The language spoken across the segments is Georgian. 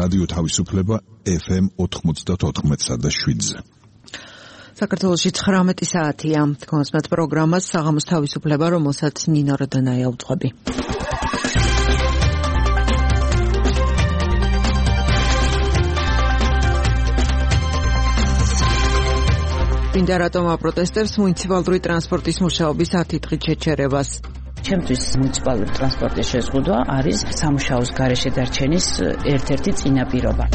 რადიო თავისუფლება FM 94.7-ზე. საქართველოში 19 საათია. თქვენს პროგრამას საღამოს თავისუფლება, რომელსაც ნინო როდანაია უძღვები. მინდა რატომ აპროტესტებს მუნიციპალური ტრანსპორტის მუშაობის 10 დღით შეჩერებას. ჩემთვის მუნიციპალური ტრანსპორტის შეზღუდვა არის სამუშაოს გარეშე დარჩენის ერთ-ერთი წინაპირობა.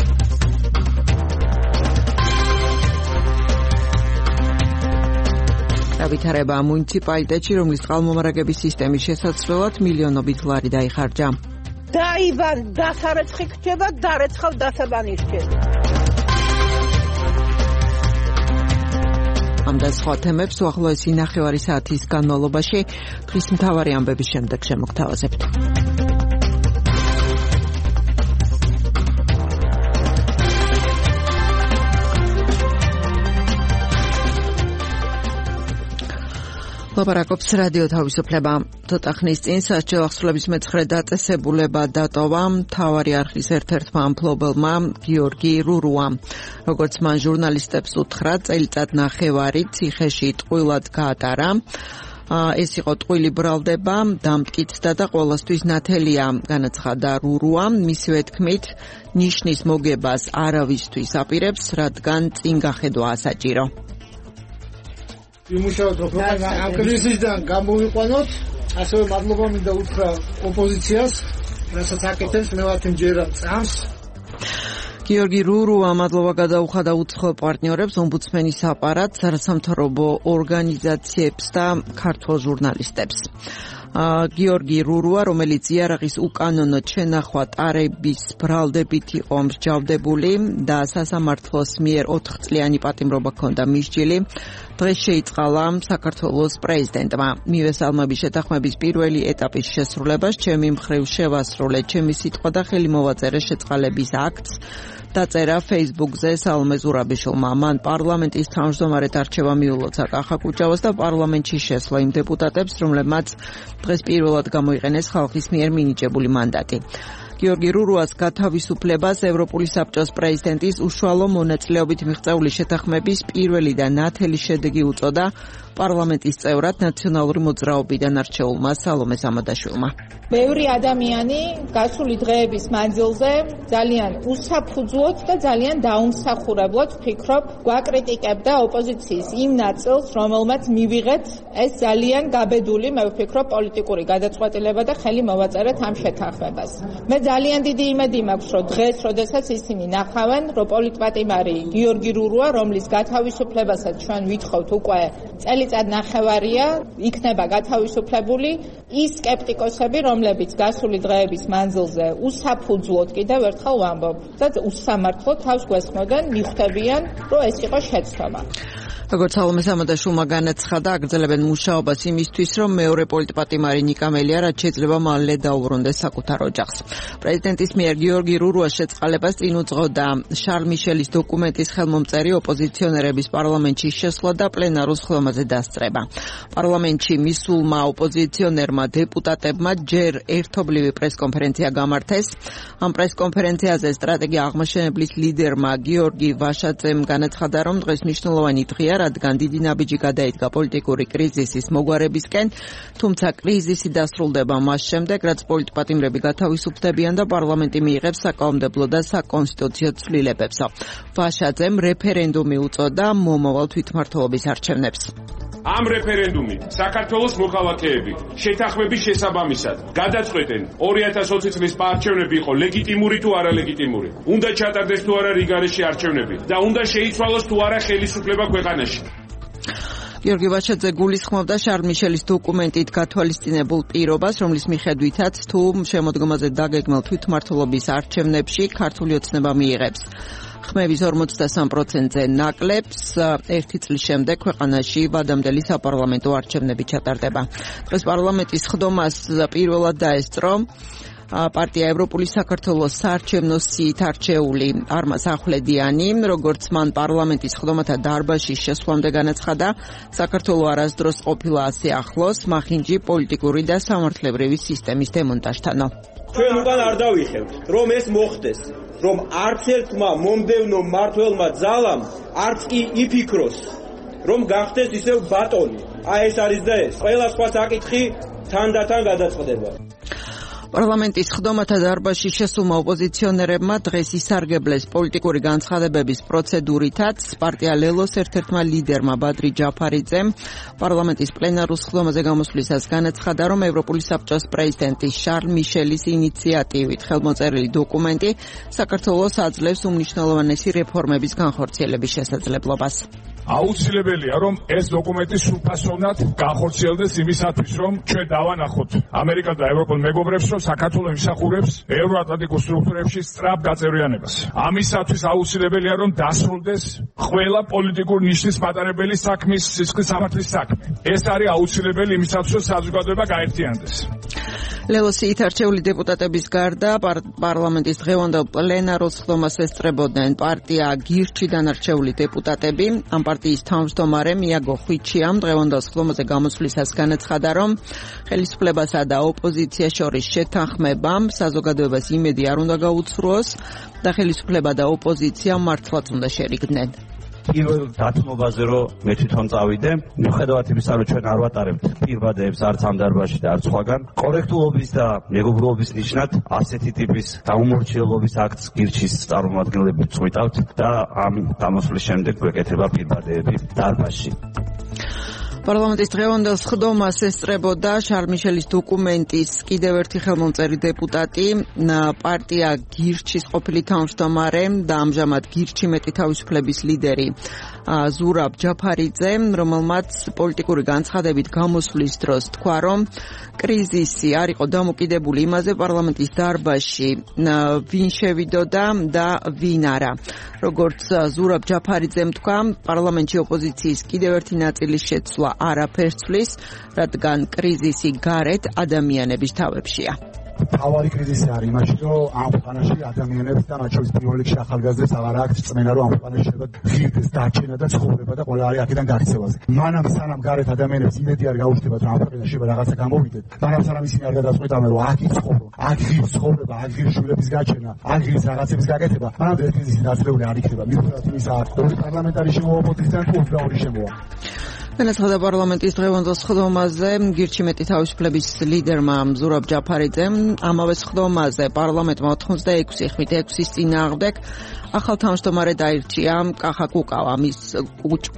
დავითარება მუნიციპალიტეტში, რომლის წყალმომარაგების სისტემის შესაძლებლად მილიონობით ლარი დაიხარჯა. დაიბარ დასარეცხი ხდება, დარეცხავ დასაბანი ხდება. ამ და სხვა თემებს უახლოესი ნახევარი საათის განმავლობაში დღის მთავარი ამბების შემდეგ შემოგთავაზებთ. ლაპარაკობს რადიო თავისუფლება. ცოტა ხნის წინ სასჯელ ახსნილების მეცხრე დაწესებულება დატოვა მთავარი არხის ერთ-ერთმა მფლობელმა გიორგი რურუამ. როგორც მან ჟურნალისტებს უთხრა, წელიწად ნახევარი ციხეში ტყუილად გაატარა. ეს იყო ტყუილი ბრალდება, დამტკიცდა და ყოველთვის ნათელია, განაცხადა რურუამ. მისივე თქმით, ნიშნის მოგებას არავისთვის აპირებს, რადგან წინ გახედვა ასაჭირო. იმუშავოთ, რომ ამ კრიზისიდან გამოვიყვანოთ, ასევე მადლობა მინდა უთხრა ოპოზიციას, რასაც აკეთებს, მე ვარ მჯერა წამს. გიორგი რურუა მადლობა გადაუხადა უცხო პარტნიორებს, ომბუდსმენის აპარატს, არასამთავრობო ორგანიზაციებს და ქართველ ჟურნალისტებს. გიორგი რურუა, რომელიც იარაღის უკანონოდ შენახვა ტარების ბრალდებით იყო მსჯავრდებული და სასამართლოს მიერ 4 წლიანი პატიმრობა ჰქონდა მისჯილი, დღეს შეიწყალა საქართველოს პრეზიდენტმა. მივესალმები შეთანხმების პირველი ეტაპის შესრულებას, ჩემი მხრივ შევასრულე ჩემი სიტყვა და ხელი მოვაწერე შეწყალების აქტს. დაწერა Facebook-ზე სალომე ზურაბიშვილმა. მან პარლამენტის თავმჯდომარედ არჩევა მიულოცა კახა კუჭავას და პარლამენტში შესვლა იმ დეპუტატებს, რომლებმაც დღეს პირველად გამოიყენეს ხალხის მიერ მინიჭებული მანდატი. გიორგი რურუას გათავისუფლებას ევროპული საბჭოს პრეზიდენტის უშუალო მონაწილეობით მიღწეული შეთანხმების პირველი და ნათელი შედეგი უწოდა პარლამენტის წევრად ნაციონალური მოძრაობიდან არჩეულმა სალომე სამადაშვილმა. ბევრი ადამიანი გასული დღეების მანძილზე ძალიან უსაფუძვლოდ და ძალიან დაუმსახურებლად ვფიქრობ, გვაკრიტიკებდა ოპოზიციის იმ ნაწილს, რომელმაც მივიღეთ ეს ძალიან გაბედული, მე ვფიქრობ, პოლიტიკური გადაწყვეტილება და ხელი მოვაწერეთ ამ შეთანხმებას. მე ძალიან დიდი იმედი მაქვს, რომ დღეს, როდესაც ისინი ნახავენ, რომ პოლიტპატიმარი გიორგი რურუა, რომლის გათავისუფლებასაც ჩვენ ვითხოვთ უკვე წელიწად ნახევარია, იქნება გათავისუფლებული, ის სკეპტიკოსები, რომლებიც გასული დღეების მანძილზე უსაფუძვლოდ კიდევ ერთხელ ვამბობ და უსამართლოდ თავს გვესხმოდნენ, მიხვდებიან, რომ ეს იყო შეცდომა. როგორც სალომე სამადაშვილმა განაცხადა, აგრძელებენ მუშაობას იმისთვის, რომ მეორე პოლიტპატიმარი ნიკა მელია რაც შეიძლება მალე დაუბრუნდეს საკუთარ ოჯახს. პრეზიდენტის მიერ გიორგი რურუას შეწყალებას წინ უძღოდა შარლ მიშელის დოკუმენტის ხელმომწერი ოპოზიციონერების პარლამენტში შესვლა და პლენარულ ხილვაზე დასწრება. პარლამენტში მისულმა ოპოზიციონერმა დეპუტატებმა ჯერ ერთობლივი პრესკონფერენცია გამართეს. ამ პრესკონფერენციაზე სტრატეგია აღმაშენებლის ლიდერმა გიორგი ვაშაძემ განაცხადა, რომ დღეს მნიშვნელოვანი დღეა, რადგან დიდი ნაბიჯი გადაიდგა პოლიტიკური კრიზისის მოგვარებისკენ, თუმცა კრიზისი დასრულდება მას შემდეგ, რაც პოლიტპატიმრები გათავისუფლდებიან და პარლამენტი მიიღებს საკანონმდებლო და საკონსტიტუციო ცვლილებებს. ვაშაძემ რეფერენდუმი უწოდა მომავალ თვითმმართველობის არჩევნებს. ამ რეფერენდუმით საქართველოს მოქალაქეები შეთანხმების შესაბამისად გადაწყვეტენ 2020 წლის არჩევნები იყო ლეგიტიმური თუ არალეგიტიმური. უნდა ჩატარდეს თუ არა რიგარეში არჩევნები და უნდა შეიცვალოს თუ არა ხელისუფლება ქვეყანაში. გიორგი ვაშაძე გულისხმობდა შარლ მიშელის დოკუმენტით გათვალისწინებულ პირობას, რომლის მიხედვითაც თუ შემოდგომაზე დაგეგმილ თვითმმართველობის არჩევნებში ქართული ოცნება მიიღებს. ხმების 43%-ზე ნაკლებს, 1 წლის შემდეგ ქვეყანაში ვადამდელი საპარლამენტო არჩევნები ჩატარდება. დღეს პარლამენტის ხდომას პირველად დაესწრო პარტია ევროპული საქართველოს საარჩევნო სიით არჩეული არმაზ ახვლედიანი, როგორც მან პარლამენტის ხდომათა დარბაზში შესვლამდე განაცხადა, საქართველო არასდროს ყოფილა ასე ახლოს მახინჯი პოლიტიკური და სამართლებრივი სისტემის დემონტაჟთანო. ჩვენ უკან არ დავიხევთ, რომ ეს მოხდეს. რომ არც ერთმა მომდევნო მმართველმა ძალამ არც კი იფიქროს, რომ გახდეს ისევ ბატონი. ეს არის და ეს. ყველა სხვა საკითხი თანდათან გადაწყდება. პარლამენტის ხდომათა დარბაზში შესულმა ოპოზიციონერებმა დღეს ისარგებლეს პოლიტიკური განცხადებების პროცედურითაც. პარტია ლელოს ერთ-ერთმა ლიდერმა ბადრი ჯაფარიძემ პარლამენტის პლენარულ ხდომაზე გამოსვლისას განაცხადა, რომ ევროპული საბჭოს პრეზიდენტის შარლ მიშელის ინიციატივით ხელმოწერილი დოკუმენტი საქართველოს აძლევს უმნიშვნელოვანესი რეფორმების განხორციელების შესაძლებლობას. აუცილებელია, რომ ეს დოკუმენტი სრულფასოვნად განხორციელდეს იმისათვის, რომ ჩვენ დავანახოთ ამერიკას და ევროპულ მეგობრებს, რომ საქართველო იმსახურებს ევროატლანტიკურ სტრუქტურებში სწრაფ გაწევრიანებას. ამისათვის აუცილებელია, რომ დასრულდეს ყველა პოლიტიკური ნიშნის მატარებელი საქმის სისხლის სამართლის საქმე. ეს არის აუცილებელი იმისათვის, რომ საზოგადოება გაერთიანდეს. ლელოსით არჩეული დეპუტატების გარდა პარლამენტის დღევანდელ პლენარულ ხდომას ესწრებოდნენ პარტია გირჩიდან არჩეული დეპუტატები. ამ პარტიის თავმჯდომარე მიაგო ხვიჩიამ დღევანდელ ხდომაზე გამოსვლისას განაცხადა, რომ ხელისუფლებასა და ოპოზიციას შორის შეთანხმებამ საზოგადოებას იმედი არ უნდა გაუცრუოს და ხელისუფლება და ოპოზიცია მართლაც უნდა შერიგდნენ. პირველ დათმობაზე რომ მე თვითონ წავიდე, მიუხედავად იმისა, რომ ჩვენ არ ვატარებთ პირბადეებს არც ამ დარბაზში და არც სხვაგან, კორექტულობის და მეგობრობის ნიშნად ასეთი ტიპის დაუმორჩილების აქტს გირჩის წარმომადგენლები წვიტავთ და ამ გამოსვლის შემდეგ გვეკეთება პირბადეები დარბაზში. პარლამენტის დღევანდელ ხდომას ესწრებოდა შარლ მიშელის დოკუმენტის კიდევ ერთი ხელმომწერი დეპუტატი, პარტია გირჩის ყოფილი თავმჯდომარე და ამჟამად გირჩი მეტი თავისუფლების ლიდერი ზურაბ ჯაფარიძე, რომელმაც პოლიტიკური განცხადებით გამოსვლის დროს თქვა, რომ კრიზისი არ იყო დამოკიდებული იმაზე პარლამენტის დარბაზში ვინ შევიდოდა და ვინ არა. როგორც ზურაბ ჯაფარიძემ თქვა, პარლამენტში ოპოზიციის კიდევ ერთი ნაწილის შეცვლა არაფერს ცვლის, რადგან კრიზისი გარეთ ადამიანების თავებშია. თავარი კრიზისი არის იმაში, რომ ამ ქვეყანაში ადამიანებს და მათ შორის პირველ რიგში ახალგაზრდებს აღარ აქვს წმენა, რომ ამ ქვეყანაში შეიძლება ღირდეს დარჩენა და ცხოვრება და ყველა არის აქედან გარცევაზე. მანამ სანამ გარეთ ადამიანებს იმედი არ გაუჩნდებათ, რომ ამ ქვეყანაში შეიძლება რაღაცა გამოვიდეთ, მანამ სანამ ისინი არ გადაწყვეტავენ, რომ აქ იცხოვრო, აქ ღირს ცხოვრება, აქ ღირს შვილების გაჩენა, აქ ღირს რაღაცების გაკეთება, მანამ ეს კრიზისი დაწეული არ იქნება. მიუხედავად იმისა, რომ პარლამენტარი შემოვა ოპოზიციიდან თუ უბრალოდ შემოვა. განაცხადა პარლამენტის დღევანდელ ხდომაზე გირჩი მეტი თავისუფლების ლიდერმა ზურაბ ჯაფარიძემ. ამავე ხდომაზე პარლამენტმა 86-6-ის წინააღმდეგ ახალ თავმჯდომარედ აირჩია კახა კუკავა, მის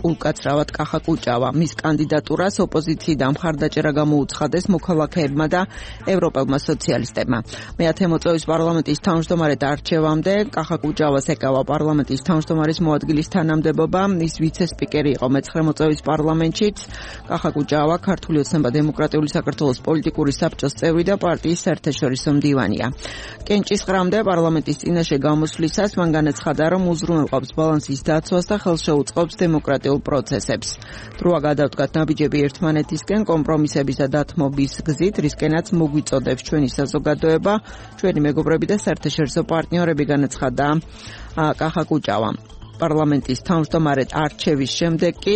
უკაცრავად კახა კუჭავა. მის კანდიდატურას ოპოზიციიდან მხარდაჭერა გამოუცხადეს მოქალაქეებმა და ევროპელმა სოციალისტებმა. მეათე მოწვევის პარლამენტის თავმჯდომარედ არჩევამდე კახა კუჭავას ეკავა პარლამენტის თავმჯდომარის მოადგილის თანამდებობა. ის ვიცე-სპიკერი იყო მე-9 მოწვევის პარლამენტშიც. კახა კუჭავა ქართული ოცნება დემოკრატიული საქართველოს პოლიტიკური საბჭოს წევრი და პარტიის საერთაშორისო მდივანია. კენჭისყრამდე პარლამენტის წინაშე გამოსვლისას მან განაცხადა, რომ უზრუნველყოფს ბალანსის დაცვას და ხელს შეუწყობს დემოკრატიულ პროცესებს. დროა გადავდგათ ნაბიჯები ერთმანეთისკენ კომპრომისების და დათმობის გზით, რისკენაც მოგვიწოდებს ჩვენი საზოგადოება, ჩვენი მეგობრები და საერთაშორისო პარტნიორები, განაცხადა კახა კუჭავამ. პარლამენტის თავმჯდომარედ არჩევის შემდეგ კი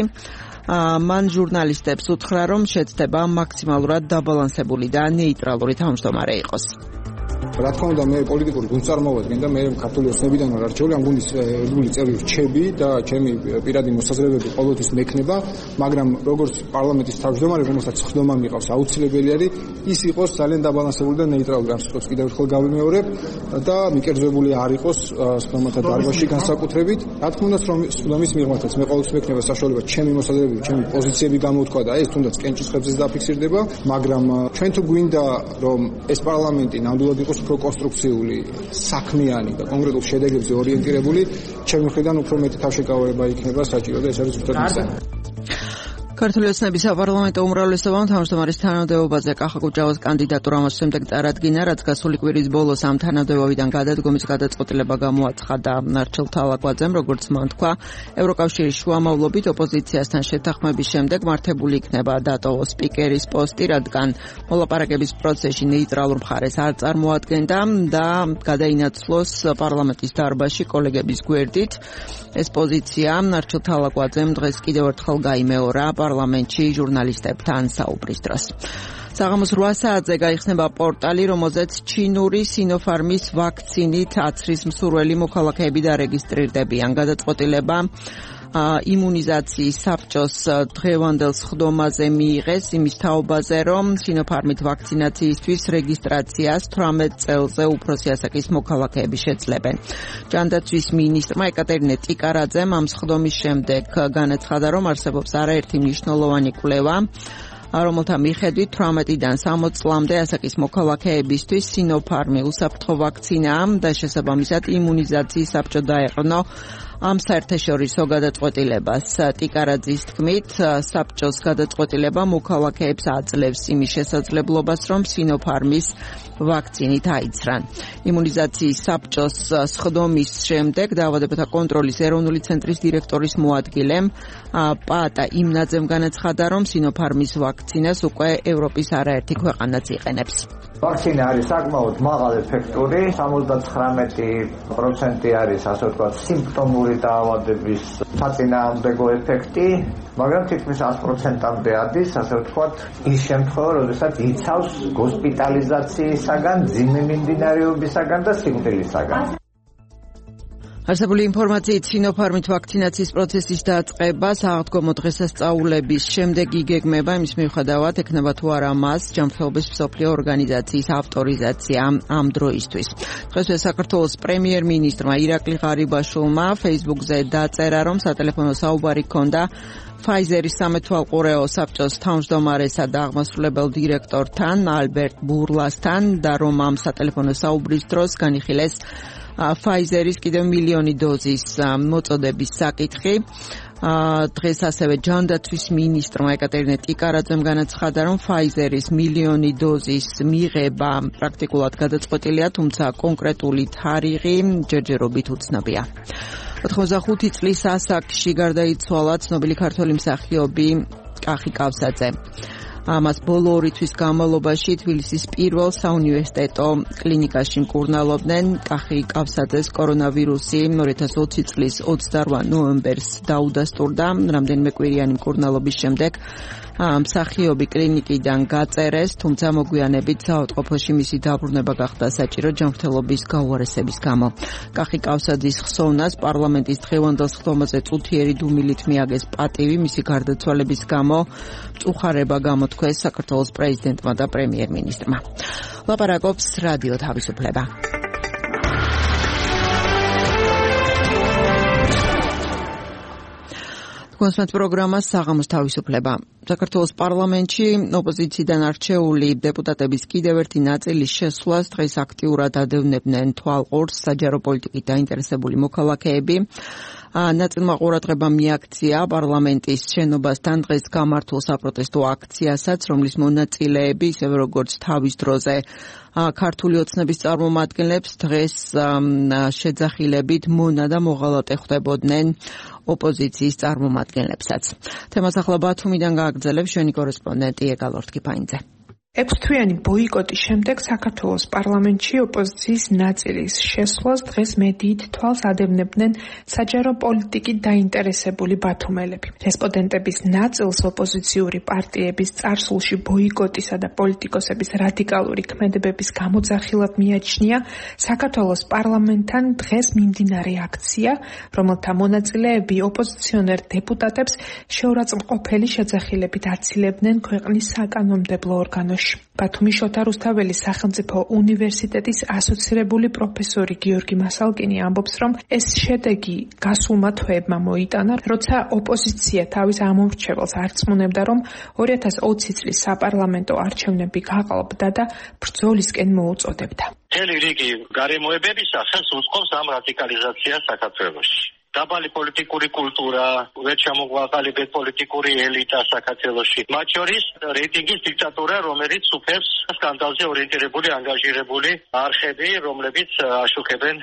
მან ჟურნალისტებს უთხრა, რომ შეცდება მაქსიმალურად დაბალანსებული და ნეიტრალური თავმჯდომარე იყოს. რა თქმა უნდა, მე პოლიტიკური გუნდს წარმოვადგენ და მე ქართული ოცნებიდან ვარ არჩეული, ამ გუნდის ერთგული წევრი რჩები და ჩემი პირადი მოსაზრებები ყოველთვის მექნება, მაგრამ როგორც პარლამენტის თავმჯდომარე, რომელსაც ხდომა მიყავს, აუცილებელი არის ის იყოს ძალიან დაბალანსებული და ნეიტრალური. ამ სიტყვას კიდევ ერთხელ გავიმეორებ და მიკერძებული არ იყოს ხდომათა დარბაზში განსაკუთრებით. რა თქმა უნდა, ხდომის მიღმართაც მე ყოველთვის მექნება საშუალება ჩემი მოსაზრებები, ჩემი პოზიციები გამოვთქვა და ეს თუნდაც კენჭისყრებზე დაფიქსირდება, მაგრამ ჩვენ თუ გვინდა რომ ეს პარლამენტი ნამდვილად იყოს პროკონსტრუქციული, საქმიანი და კონკრეტულ შედეგებზე ორიენტირებული, ჩემი მხრიდან უფრო მეტი თავშეკავება იქნება საჭირო და ეს არის ზუსტად მიზანი. ქართული ოცნების საპარლამენტო უმრავლესობამ თავმჯდომარის თანამდებობაზე კახა კუჭავას კანდიდატურა მას შემდეგ წარადგინა, რაც გასული კვირის ბოლოს ამ თანამდებობიდან გადადგომის გადაწყვეტილება გამოაცხადა ნარჩელ თალაკვაძემ, როგორც მან თქვა, ევროკავშირის შუამავლობით ოპოზიციასთან შეთანხმების შემდეგ მართებული იქნება დატოვოს სპიკერის პოსტი, რადგან მოლაპარაკების პროცესში ნეიტრალურ მხარეს არ წარმოადგენდა და გადაინაცვლოს პარლამენტის დარბაზში კოლეგების გვერდით. ეს პოზიცია ნარჩელ თალაკვაძემ დღეს კიდევ ერთხელ გაიმეორა პარლამენტში ჟურნალისტებთან საუბრის დროს. საღამოს 8 საათზე გაიხსნება პორტალი, რომელზეც ჩინური Sinopharm-ის ვაქცინით აცრის მსურველი მოქალაქეები დარეგისტრირდებიან. გადაწყვეტილება იმუნიზაციის საბჭოს დღევანდელ სხდომაზე მიიღეს იმის თაობაზე, რომ Sinopharm-ით ვაქცინაციისთვის რეგისტრაციას 18 წელზე უფროსი ასაკის მოქალაქეები შეძლებენ. ჯანდაცვის მინისტრმა ეკატერინე ტიკარაძემ ამ სხდომის შემდეგ განაცხადა, რომ არსებობს არაერთი მნიშვნელოვანი კვლევა, რომელთა მიხედვით 18-დან 60 წლამდე ასაკის მოქალაქეებისთვის Sinopharm-ი უსაფრთხო ვაქცინაა და შესაბამისად იმუნიზაციის საბჭო დაეყრდნო ამ საერთაშორისო გადაწყვეტილებას. ტიკარაძის თქმით, საბჭოს გადაწყვეტილება მოქალაქეებს აძლევს იმის შესაძლებლობას, რომ Sinopharm-ის ვაქცინით აიცრან. იმუნიზაციის საბჭოს სხდომის შემდეგ დაავადებათა კონტროლის ეროვნული ცენტრის დირექტორის მოადგილემ პაატა იმნაძემ განაცხადა, რომ Sinopharm-ის ვაქცინას უკვე ევროპის არაერთი ქვეყანაც იყენებს. ვაქცინა არის საკმაოდ მაღალ ეფექტური, 79% არის, ასე ვთქვათ, სიმპტომური დაავადების საწინააღმდეგო ეფექტი, მაგრამ თითქმის 100%-მდე ადის, ასე ვთქვათ, ის შემთხვევა, როდესაც იცავს ჰოსპიტალიზაციისაგან, ძიმე მიმდინარეობისაგან და სიკვდილისაგან. არსებული ინფორმაციით Sinopharm-ით ვაქცინაციის პროცესის დაწყება სააღდგომო დღესასწაულების შემდეგ იგეგმება, იმის მიუხედავად ექნება თუ არა მას ჯანმრთელობის მსოფლიო ორგანიზაციის ავტორიზაცია ამ დროისთვის. დღესვე საქართველოს პრემიერ-მინისტრმა ირაკლი ღარიბაშვილმა Facebook-ზე დაწერა, რომ სატელეფონო საუბარი ჰქონდა Pfizer-ის სამეთვალყურეო საბჭოს თავმჯდომარესა და აღმასრულებელ დირექტორთან ალბერტ ბურლასთან და რომ ამ სატელეფონო საუბრის დროს განიხილეს Pfizer-ის კიდევ მილიონი დოზის მოწოდების საკითხი. დღეს ასევე ჯანდაცვის მინისტრმა ეკატერინე ტიკარაძემ განაცხადა, რომ Pfizer-ის მილიონი დოზის მიღება პრაქტიკულად გადაწყვეტილია, თუმცა კონკრეტული თარიღი ჯერჯერობით უცნობია. 85 წლის ასაკში გარდაიცვალა ცნობილი ქართველი მსახიობი კახი კავსაძე. ამას ბოლო 2 თვის განმავლობაში თბილისის პირველ საუნივერსიტეტო კლინიკაში მკურნალობდნენ. კახი კავსაძეს კორონავირუსი 2020 წლის 28 ნოემბერს დაუდასტურდა. რამდენიმე კვირიანი მკურნალობის შემდეგ მსახიობი კლინიკიდან გაწერეს, თუმცა მოგვიანებით საავადმყოფოში მისი დაბრუნება გახდა საჭირო ჯანმრთელობის გაუარესების გამო. კახი კავსაძის ხსოვნას პარლამენტის დღევანდელ სხდომაზე წუთიერი დუმილით მიაგეს პატივი, მისი გარდაცვალების გამო მწუხარება გამოთქვეს საქართველოს პრეზიდენტმა და პრემიერ-მინისტრმა. ლაპარაკობს რადიო თავისუფლება. კონსულტანტ პროგრამა საღამოს თავისუფლება. საქართველოს პარლამენტში ოპოზიციიდან არჩეული დეპუტატების კიდევ ერთი ნაწილის შესვლას დღეს აქტიურად ადევნებდნენ თვალყურს საჯარო პოლიტიკით დაინტერესებული მოქალაქეები. ნაწილმა ყურადღება მიაქცია პარლამენტის შენობასთან დღეს გამართულ საპროტესტო აქციასაც, რომლის მონაწილეები, ისევე როგორც თავის დროზე ქართული ოცნების წარმომადგენლებს დღეს შეძახილებით მონა და მოღალატე ხვდებოდნენ ოპოზიციის წარმომადგენლებსაც. თემას ახლა ბათუმიდან გააგრძელებს ჩვენი კორესპონდენტი ეგალ ორთქიფაინძე. 6 თვიანი ბოიკოტის შემდეგ საქართველოს პარლამენტში ოპოზიციის ნაწილის შესვლას დღეს მედიით თვალს ადევნებდნენ საჯარო პოლიტიკით დაინტერესებული ბათუმელები. რესპონდენტების ნაწილს ოპოზიციური პარტიების წარსულში ბოიკოტისა და პოლიტიკოსების რადიკალური ქმედებების გამოძახილად მიაჩნია საქართველოს პარლამენტთან დღეს მიმდინარე აქცია, რომელთა მონაწილეები ოპოზიციონერ დეპუტატებს შეურაცხმყოფელი შეძახილებით აცილებდნენ ქვეყნის საკანონმდებლო ორგანოში. ბათუმის შოთა რუსთაველის სახელმწიფო უნივერსიტეტის ასოცირებული პროფესორი გიორგი მასალკინი ამბობს, რომ ეს შედეგი გასულმა თვეებმა მოიტანა, როცა ოპოზიცია თავის ამორჩეველს არწმუნებდა, რომ 2020 წლის საპარლამენტო არჩევნები გაყალბდა და ბრძოლისკენ მოუწოდებდა. მთელი რიგი გარემოებებისა ხელს უწყობს ამ რადიკალიზაციას საქართველოში. დაბალი პოლიტიკური კულტურა, ვერჩამოყვანილი პოლიტიკური ელიტა საქართველოში. მათ შორის რეიტინგის დიქტატურა, რომელიც უფევს სკანდალზე ორიენტირებული, ანგაჟირებული არხები, რომლებიც აშუქებენ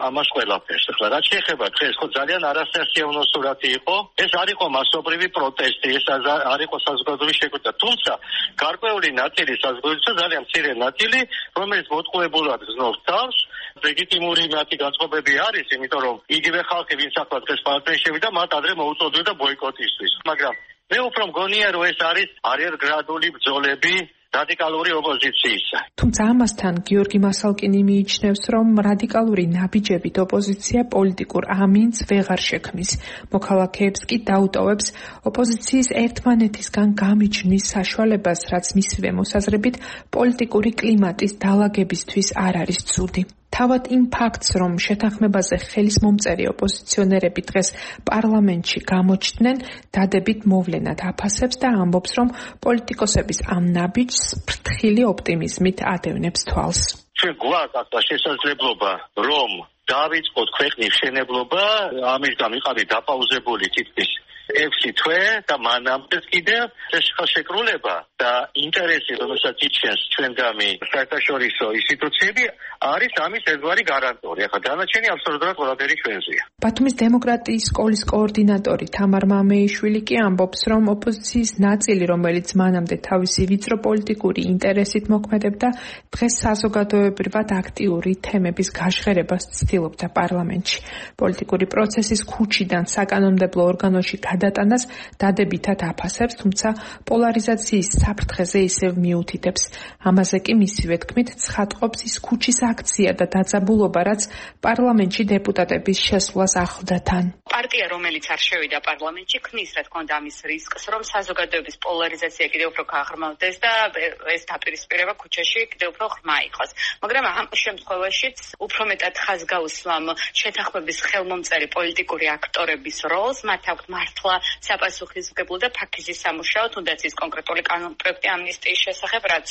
ამას ყველაფერს. ახლა რაც შეეხება დღეს, ხო ძალიან არასასიამოვნო სურათი იყო. ეს არ იყო მასობრივი პროტესტი, ეს არ იყო საზოგადოების შეკვეთა. თუმცა გარკვეული ნაწილი საზოგადოებისა, ძალიან მცირე ნაწილი, რომელიც მოტყუებულად გზნობს თავს, ლეგიტიმური მათი განწყობები არის, იმიტომ რომ იგივე ხალხი ვინც ახლა დღეს პარტიაში შევიდა, მათ ადრე მოუწოდოდა ბოიკოტისთვის. მაგრამ მე უფრო მგონია, რომ ეს არის არიერგრადული ბრძოლები რადიკალური ოპოზიციისა. თუმცა ამასთან გიორგი მასალკინი მიიჩნევს, რომ რადიკალური ნაბიჯებით ოპოზიცია პოლიტიკურ ამინს ვეღარ შექმნის. მოქალაქეებს კი დაუტოვებს ოპოზიციის ერთმანეთისგან გამიჯვნის საშუალებას, რაც მისივე მოსაზრებით პოლიტიკური კლიმატის დალაგებისთვის არ არის ცუდი. თავად იმ ფაქტს, რომ შეთანხმებაზე ხელის მომწერი ოპოზიციონერები დღეს პარლამენტში გამოჩნდნენ, დადებით მოვლენად აფასებს და ამბობს, რომ პოლიტიკოსების ამ ნაბიჯს ფრთხილი ოპტიმიზმით ადევნებს თვალს. ჩვენ გვაქვს შესაძლებლობა, რომ დავიწყოთ ქვეყნის მშენებლობა, ამისგან ვიყავით დაპაუზებული თითქმის 6 თვე და მანამდე კიდევ ეს ხელშეკრულება და ინტერესი, რომელსაც იჩენს ჩვენგამი საერთაშორისო ინსტიტუციები, არის ამის ერთგვარი გარანტორი. ახლა დანარჩენი აბსოლუტურად ყველაფერი ჩვენზეა. ბათუმის დემოკრატიის სკოლის კოორდინატორი თამარ მამეიშვილი კი ამბობს, რომ ოპოზიციის ნაწილი, რომელიც მანამდე თავისი ვიწრო პოლიტიკური ინტერესით მოქმედებდა, დღეს საზოგადოებრივად აქტიური თემების გაშღერებას ცდილობდა პარლამენტში. პოლიტიკური პროცესის ქუჩიდან საკანონმდებლო ორგანოში გადატანას დადებითად აფასებს, თუმცა პოლარიზაციის საფრთხეზე ისევ მიუთითებს. ამაზე კი მისივე თქმით ცხადყოფს ის ქუჩის აქცია და დაძაბულობა, რაც პარლამენტში დეპუტატების შესვლას ახლდა თან. პარტია, რომელიც არ შევიდა პარლამენტში, ქმნის რა თქმა უნდა ამის რისკს, რომ საზოგადოების პოლარიზაცია კიდევ უფრო გაღრმავდეს და ეს დაპირისპირება ქუჩაში კიდევ უფრო ღრმა იყოს. მაგრამ ამ შემთხვევაშიც უფრო მეტად ხაზგაუსვამ შეთანხმების ხელმომწერი პოლიტიკური აქტორების როლს, მათ აქვთ მართლა საპასუხისმგებლო და ფაქიზის სამუშაო, თუნდაც ის კონკრეტული კანონპროექტი ამნისტიის შესახებ, რაც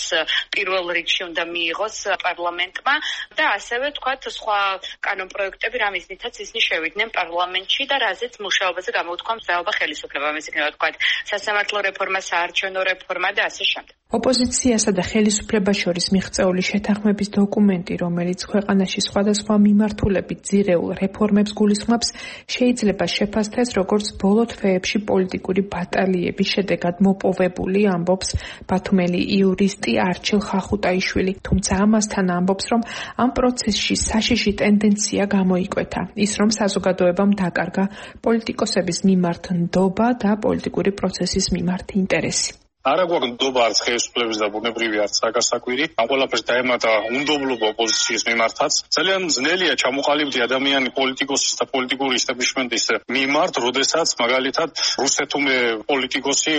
პირველ რიგში უნდა მიიღოს პარლამენტმა და ასევე თქვათ სხვა კანონპროექტები, რამის მითაც ისინი შევიდნენ პარლამენტში და რაზეც მუშაობაზე გამოუთქვა მზაობა ხელისუფლებამ, ეს იქნება თქვათ სასამართლო რეფორმა, საარჩევნო რეფორმა და ასე შემდეგ. ოპოზიციასა და ხელისუფლებას შორის მიღწეული შეთანხმების დოკუმენტი, რომელიც ქვეყანაში სხვადასხვა მიმართულებით ძირეულ რეფორმებს გულისხმობს, შეიძლება შეფასდეს როგორც ბოლო თვეებში პოლიტიკური ბატალიების შედეგად მოპოვებული, ამბობს ბათუმელი იურისტი არჩილ ხახუტაიშვილი. თუმცა ამასთან ამბობს, რომ ამ პროცესში საშიში ტენდენცია გამოიკვეთა. ის, რომ საზოგადოებამ დაკარგა პოლიტიკოსების მიმართ ნდობა და პოლიტიკური პროცესის მიმართ ინტერესი. არა გვაქვს ნდობა არც ხელისუფლების და ბუნებრივი არც საგასაკვირი. ამ ყველაფერს დაემატა უნდობლობა ოპოზიციის მიმართაც. ძალიან ძნელია ჩამოყალიბდი ადამიანი პოლიტიკოსის და პოლიტიკური ისტაბლიშმენტის მიმართ, როდესაც მაგალითად რუსეთუმე პოლიტიკოსი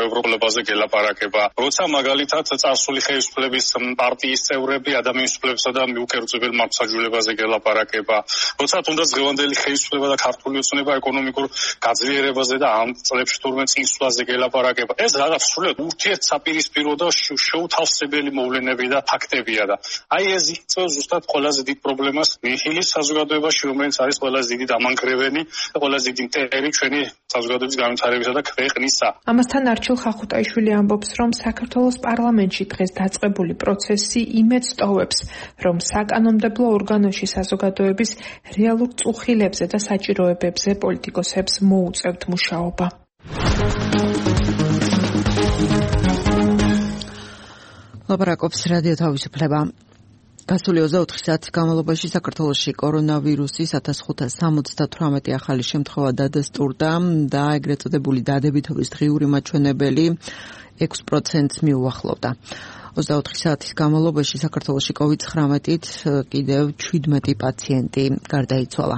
ევროპელებაზე გელაპარაკება. როცა მაგალითად წარსული ხელისუფლების პარტიის წევრები ადამიანის უფლებებსა და მიუკერძებელ მართლმსაჯულებაზე გელაპარაკება. როცა თუნდაც დღევანდელი ხელისუფლება და ქართული ოცნება ეკონომიკურ გაძლიერებაზე და ამ წლებში თურმე წინსვლაზე გელაპარაკება. ეს რაღაც ურთიერთსაპირისპირო და შეუთავსებელი მოვლენები და ფაქტებია და აი ეს იწვევს ზუსტად ყველაზე დიდ პრობლემას ნიჰილის საზოგადოებაში, რომელიც არის ყველაზე დიდი დამანგრეველი და ყველაზე დიდი მტერი ჩვენი საზოგადოების განვითარებისა და ქვეყნისა. ამასთან არჩილ ხახუტაიშვილი ამბობს, რომ საქართველოს პარლამენტში დღეს დაწყებული პროცესი იმედს ტოვებს, რომ საკანონმდებლო ორგანოში საზოგადოების რეალურ წუხილებზე და საჭიროებებზე პოლიტიკოსებს მოუწევთ მუშაობა. ლაპარაკობს რადიო თავისუფლება. გასული 24 საათის განმავლობაში საქართველოში კორონავირუსის 1578 ახალი შემთხვევა დადასტურდა და ეგრეთ წოდებული დადებითობის დღიური მაჩვენებელი 6%-ს მიუახლოვდა. 24 საათის განმავლობაში საქართველოში COVID-19-ით კიდევ 17 პაციენტი გარდაიცვალა.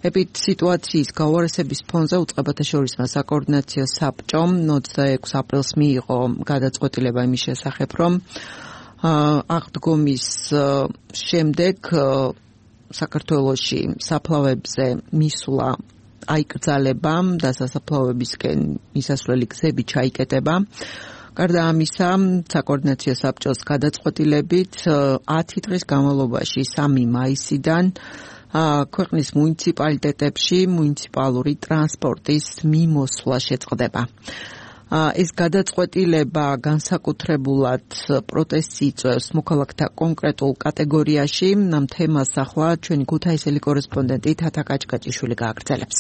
ეპიდსიტუაციის გაუარესების ფონზე უწყებათა შორისმა საკოორდინაციო საბჭომ 26 აპრილს მიიღო გადაწყვეტილება იმის შესახებ, რომ აღდგომის შემდეგ საქართველოში საფლავებზე მისვლა აიკრძალება და სასაფლავებისკენ მისასვლელი გზები ჩაიკეტება. გარდა ამისა, საკოორდინაციო საბჭოს გადაწყვეტილებით 10 დღის განმავლობაში 3 მაისიდან ქვეყნის მუნიციპალიტეტებში მუნიციპალური ტრანსპორტის მიმოსვლა შეწყდება. ეს გადაწყვეტილება განსაკუთრებულად პროტესტს იწვევს მოქალაქეთა კონკრეტულ კატეგორიაში. ამ თემას ახლა ჩვენი ქუთაისელი კორესპონდენტი თათა კაჭკაჭიშვილი გააგრძელებს.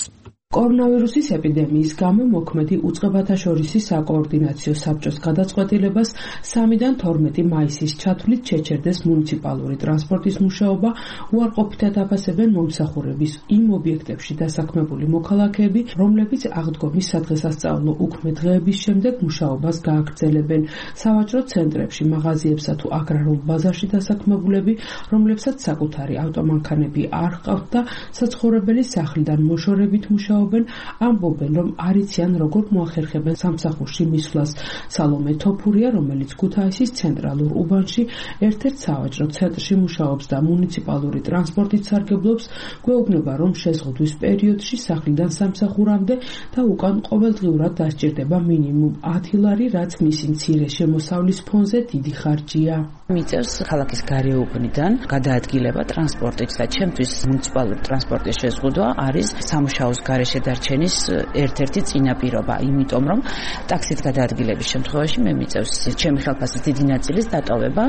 კორონავირუსის ეპიდემიის გამო მოქმედი უწყებათა შორისი საკოორდინაციო საბჭოს გადაწყვეტილებას 3-დან 12 მაისის ჩათვლით შეჩერდეს მუნიციპალური ტრანსპორტის მუშაობა, უარყოფითად აფასებენ მომსახურების იმ ობიექტებში დასაქმებული მოქალაქეები, რომლებიც აღდგომის სადღესასწაულო უქმე დღეების შემდეგ მუშაობას გააგრძელებენ. სავაჭრო ცენტრებში, მაღაზიებსა თუ აგრარულ ბაზარში დასაქმებულები, რომლებსაც საკუთარი ავტომანქანები არ ჰყავთ და საცხოვრებელი სახლიდან მოშორებით მუშაობენ, ამბობენ, რომ არ იციან როგორ მოახერხებენ სამსახურში მისვლას. სალომე თოფურია, რომელიც ქუთაისის ცენტრალურ უბანში ერთ-ერთ სავაჭრო ცენტრში მუშაობს და მუნიციპალური ტრანსპორტით სარგებლობს, გვეუბნება, რომ შეზღუდვის პერიოდში სახლიდან სამსახურამდე და უკან ყოველდღიურად დასჭირდება მინიმუმ 10 ლარი, რაც მისი მცირე შემოსავლის ფონზე დიდი ხარჯია. მიწევს ქალაქის გარეუბნიდან გადაადგილება ტრანსპორტით და ჩემთვის მუნიციპალური ტრანსპორტის შეზღუდვა არის სამუშაოს გარეშე დარჩენის ერთ-ერთი წინაპირობა, იმიტომ რომ ტაქსით გადაადგილების შემთხვევაში მე მიწევს ჩემი ხელფასის დიდი ნაწილის დატოვება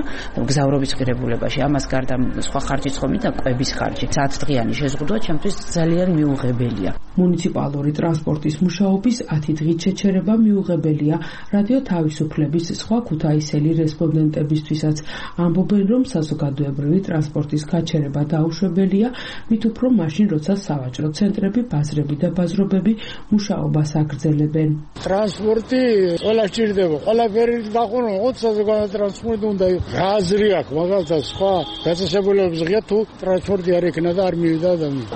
გზავრობის ღირებულებაში. ამას გარდა სხვა ხარჯიც ხომ და კვების ხარჯი. 10 დღიანი შეზღუდვა ჩემთვის ძალიან მიუღებელია. მუნიციპალური ტრანსპორტის მუშაობის 10 დღით შეჩერება მიუღებელია რადიო თავისუფლების სხვა ქუთაისელი რესპონდენტებისთვისაც. ამბობენ, რომ საზოგადოებრივი ტრანსპორტის გაჩერება დაუშვებელია, მით უფრო მაშინ, როცა სავაჭრო ცენტრები, ბაზრები და ბაზრობები მუშაობას აგრძელებენ. ტრანსპორტი ყველა სჭირდება, ყველაფერი გაყონა, საზოგადოებრივი ტრანსპორტი უნდა იყოს. რა აზრი აქვს, მაგალითად სხვა დაწესებულებებს ღია თუ ტრანსპორტი არ ექნა და არ მივიდა ადამიანი.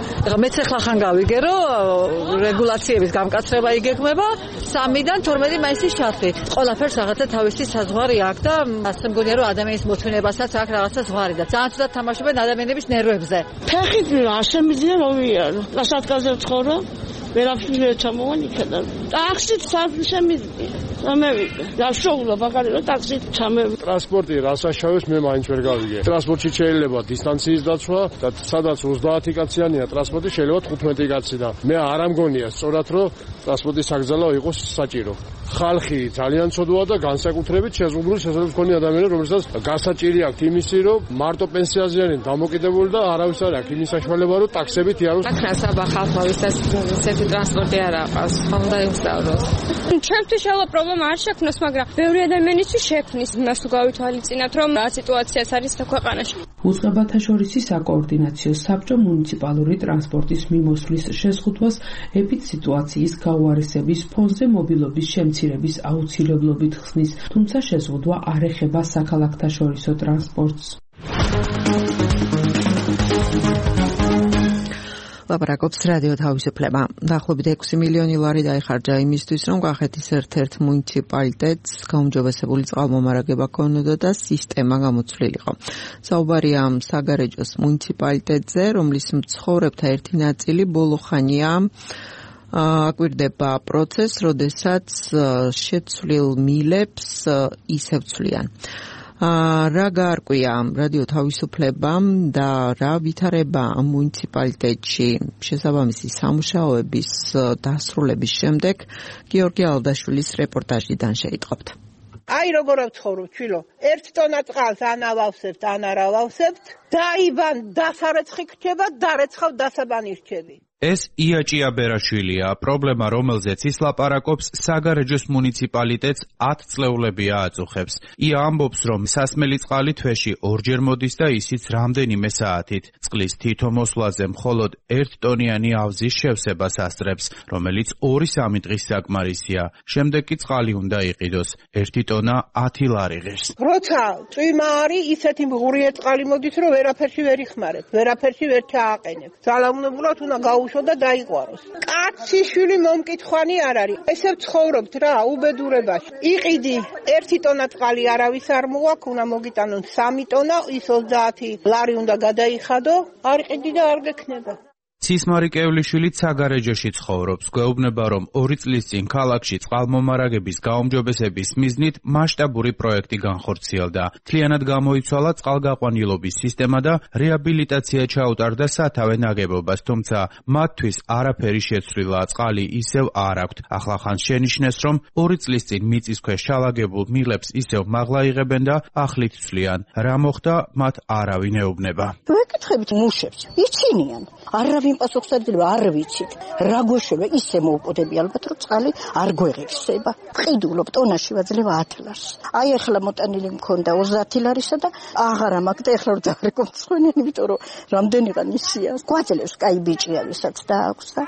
მეც ახლა ხან გავიგე, რომ რეგულაციების გამკაცრება იგეგმება 3-დან 12 მაისის ჩათვლით. ყველაფერს რაღაცა თავისი საზღვარი აქვს და ასე მგონია, რომ ადამიანის მოთმინებასაც აქვს რაღაცა ზღვარი და ძალიან ცუდად თამაშობენ ადამიანების ნერვებზე. ფეხით არ შემიძლია რომ ვიარო. დასადგაზე ვცხოვრობ, ვერაფერს ვერ ჩამოვან იქიდან. ტაქსით შემიძლია. ამევიდე. და შოულა მაგარი რომ ტაქსით ჩამევიდე. ტრანსპორტი რასაშავებს მე მაინც ვერ გავიგე. ტრანსპორტში შეიძლება დისტანციის დაცვა და სადაც 30 კაციანია ტრანსპორტი შეიძლება 15 კაცი და მე არ ამგონია სწორად რომ ტრანსპორტის საგზავნო იყოს საჭირო. ხალხი ძალიან ცოდვაა და განსაკუთრებით შეზღუდული შესაძლებლობის მქონე ადამიანები, რომელსაც გასაჭირი აქვთ იმისი, რომ მარტო პენსიაზეა დამოკიდებული და არავის არ აქვს იმის საშუალება, რომ ტაქსებით იაროს. აკრასაბა ხალხმა ვისაც ესეთი ტრანსპორტი არ აყავს, ხომ და იმსავროს. ჩემთვის შელა პრობლემა არ შექმნას, მაგრამ ბევრი ადამიანისთვის შექმნის. იმას თუ გავითვალისწინებთ, რომ რა სიტუაციაც არის ქვეყანაში. უწყებათა შორისი საკოორდინაციო საბჭო მუნიციპალური ტრანსპორტის მიმოსვლის შეზღუდვას ეპიდსიტუაციის გაუარესების ფონზე მობილობის შემცირების აუცილებლობით ხსნის, თუმცა შეზღუდვა არ ეხება საქალაქთაშორისო ტრანსპორტს. ლაპარაკობს რადიო თავისუფლება. დაახლოებით 6 მილიონი ლარი დაიხარჯა იმისთვის, რომ კახეთის ერთ-ერთ მუნიციპალიტეტს გაუმჯობესებული წყალმომარაგება ქონოდა და სისტემა გამოცვლილიყო. საუბარია საგარეჯოს მუნიციპალიტეტზე, რომლის მცხოვრებთა ერთი ნაწილი ბოლო ხანია აკვირდება პროცესს, როდესაც შეცვლილ მილებს ისევ ცვლიან. რა გაარკვია რადიო თავისუფლებამ და რა ვითარება მუნიციპალიტეტში შესაბამისი სამუშაოების დასრულების შემდეგ გიორგი ალდაშვილის რეპორტაჟიდან შეიტყობთ. აი როგორ ვცხოვრობ ჩვილო, 1 ტონა წყალს ანავავსებთ, ანარავავსებთ, დაიბან დასარეცხი ქჩება, დარეცხავ დასაბანი რჩები. ეს იაჭია ბერაშვილია, პრობლემა რომელზეც ის ლაპარაკობს საგარეჯოს მუნიციპალიტეტს 10 წლეულები ააწუხებს. ია ამბობს, რომ სასმელი წყალი თვეში 2-ჯერ მოდის და ისიც რამდენიმე საათით. წყლის თითო მოსვლაზე მხოლოდ 1 ტონიანი ავზის შევსებას ასწრებს, რომელიც 2-3 დღის საკმარისია. შემდეგ კი წყალი უნდა იყიდოს. 1 ტონა 10 ლარი ღირს. როცა წვიმა არის, ისეთი მღურია წყალი მოდის, რომ ვერაფერში ვერ იხმარებ, ვერაფერში ვერ ჩააყენებ. ძალაუნებურად უნდა გაუშვ და დაიყვაროს. კაცი შვილი მომკითხვანი არ არის. ესე ვცხოვრობთ რა, უბედურებაში. იყიდი 1 ტონა წყალი არავის არ მოაქვს, უნდა მოგიტანონ 3 ტონა, ის 30 ლარი უნდა გადაიხადო, არ იყიდი და არ გექნება. ცისმარი კევლიშვილი საგარეჯოში ცხოვრობს. გვეუბნება, რომ 2 წლის წინ ქალაქში წყალმომარაგების გაუმჯობესების მიზნით მასშტაბური პროექტი განხორციელდა. მთლიანად გამოიცვალა წყალგაყვანილობის სისტემა და რეაბილიტაცია ჩაუტარდა სათავე ნაგებობას, თუმცა მათთვის არაფერი შეცვლილა, წყალი ისევ არ აქვთ. ახლახანს შენიშნეს, რომ 2 წლის წინ მიწისქვეშ ჩალაგებულ მილებს ისევ მაღლა იღებენ და ახლით ცვლიან. რა მოხდა, მათ არავინ ეუბნება. მეკითხებით მუშებს, იცინიან. არავინ ჩემი პასუხისმგებლობა არ ვიცით. რა გვეშება ისე მოუპოდები ალბათ რომ წყალი არ გვეღირსება. ვყიდულობ ტონაში ვაძლევ 10 ლარს. აი ახლა მოტანილი მქონდა 30 ლარისა და აღარა მაქვს და ახლა რომ დავარეკო მცხენიანი, იმიტომ რომ რამდენიღა ნისია. გვაძლევს კაი ბიჭია ვისაც დააქვს და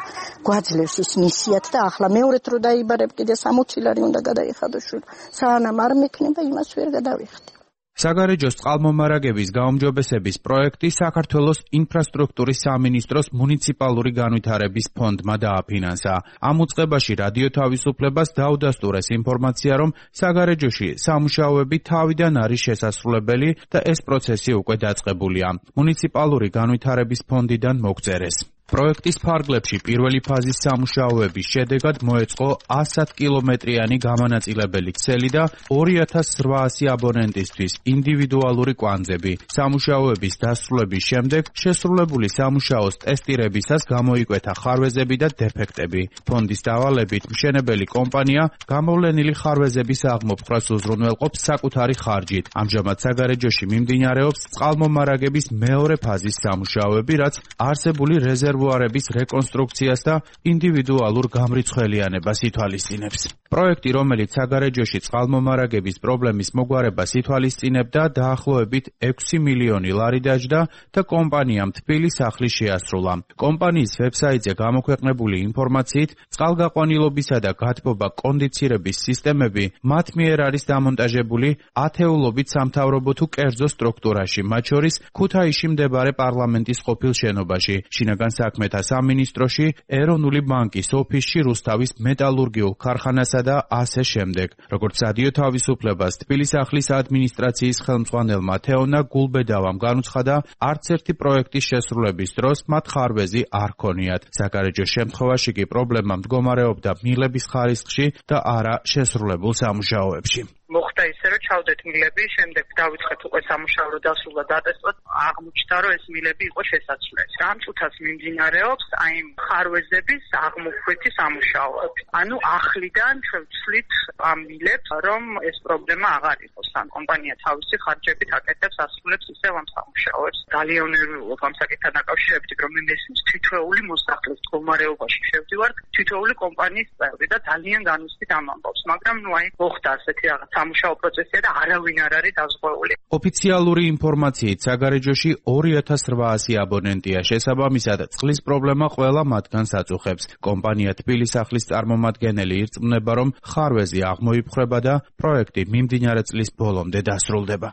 გვაძლევს ის ნისიათ და ახლა მეორედ რო დაიბარებ კიდე 60 ლარი უნდა გადაიხადო შვილ. სანამ არ მექნება იმას ვერ გადავიხდი. საგარეჯოს წყალმომარაგების გაუმჯობესების პროექტი საქართველოს ინფრასტრუქტურის სამინისტროს მუნიციპალური განვითარების ფონდმა დააფინანსა. ამ უწყებაში რადიო თავისუფლებას დაუდასტურეს ინფორმაცია, რომ საგარეჯოში სამუშაოები თავიდან არის შესასრულებელი და ეს პროცესი უკვე დაწყებულია. მუნიციპალური განვითარების ფონდიდან მოგწერეს. პროექტის ფარგლებში პირველი ფაზის სამუშაოების შედეგად მოეწყო 100 კილომეტრიანი გამანაწილებელი ქსელი და 2800 აბონენტისთვის ინდივიდუალური კვანძები. სამუშაოების დასრულების შემდეგ შესრულებული სამუშაოს ტესტირებისას გამოიკვეთა ხარვეზები და დეფექტები. ფონდის დავალებით მშენებელი კომპანია გამოვლენილი ხარვეზების აღმოფხვრას უზრუნველყოფს საკუთარი ხარჯით. ამჟამად საგარეჯოში მიმდინარეობს წყალმომარაგების მეორე ფაზის სამუშაოები, რაც არსებული რეზერვუარების რეკონსტრუქციას და ინდივიდუალურ გამრიცხველიანებას ითვალისწინებს. პროექტი, რომელიც საგარეჯოში წყალმომარაგების პრობლემის მოგვარებას ითვალისწინებდა, დაახლოებით 6 მილიონი ლარი დაჯდა და კომპანიამ თბილი სახლის შეასრულა. კომპანიის ვებსაიტზე გამოქვეყნებული ინფორმაციით, წყალგაყვანილობისა და გათბობა კონდიცირების სისტემები მათ მიერ არის დამონტაჟებული ათეულობით სამთავრობო თუ კერძო სტრუქტურაში, მათ შორის ქუთაისში მდებარე პარლამენტის ყოფილ შენობაში, შინაგან საქმეთა სამინისტროში, ეროვნული ბანკის ოფისში, რუსთავის მეტალურგიულ ქარხანასა და ასე შემდეგ. როგორც რადიო თავისუფლებას თბილისახლის ადმინისტრაციის ხელმძღვანელმა თეონა გულბედავამ განუცხადა, არც ერთი პროექტის შესრულების დროს მათ ხარვეზი არ ქონიათ. საგარეჯოს შემთხვევაში კი პრობლემა მდგომარეობდა მილების ხარისხში და არა შესრულებულ სამუშაოებში. მოხდა ისე, რომ ჩავდეთ მილები, შემდეგ დავიწყეთ უკვე სამუშაო რო დასრულდა დატესტოთ, აღმოჩნდა, რომ ეს მილები იყო შესაძლებელი. რამ წუთას მიმდინარეობს აი ხარვეზების აღმოფხვითი სამუშაოები. ანუ ახლიდან ჩვენ ვცვლით ამ მილებს, რომ ეს პრობლემა აღარ იყოს. ან კომპანია თავისი ხარჯებით აკეთებს, ასრულებს ისევ ამ სამუშაოებს. ძალიან ნერვიულობ ამ საკითხთან დაკავშირებით, რომ მე მესმის თითოეული მოსახლის მდგომარეობაში შევდივარ, თითოეული კომპანიის წევრი და ძალიან განვიცდით ამ ამბავს, მაგრამ ნუ აი მოხდა ასეთი რაღაც სამუშაო პროცესია და არავინ არ არის დაზღვეული. ოფიციალური ინფორმაციით საგარეჯოში 2800 აბონენტია. შესაბამისად, წყლის პრობლემა ყველა მათგანს აწუხებს. კომპანია თბილისახლის წარმომადგენელი ირწმუნება, რომ ხარვეზი აღმოიფხრება და პროექტი მიმდინარე წლის ბოლომდე დასრულდება.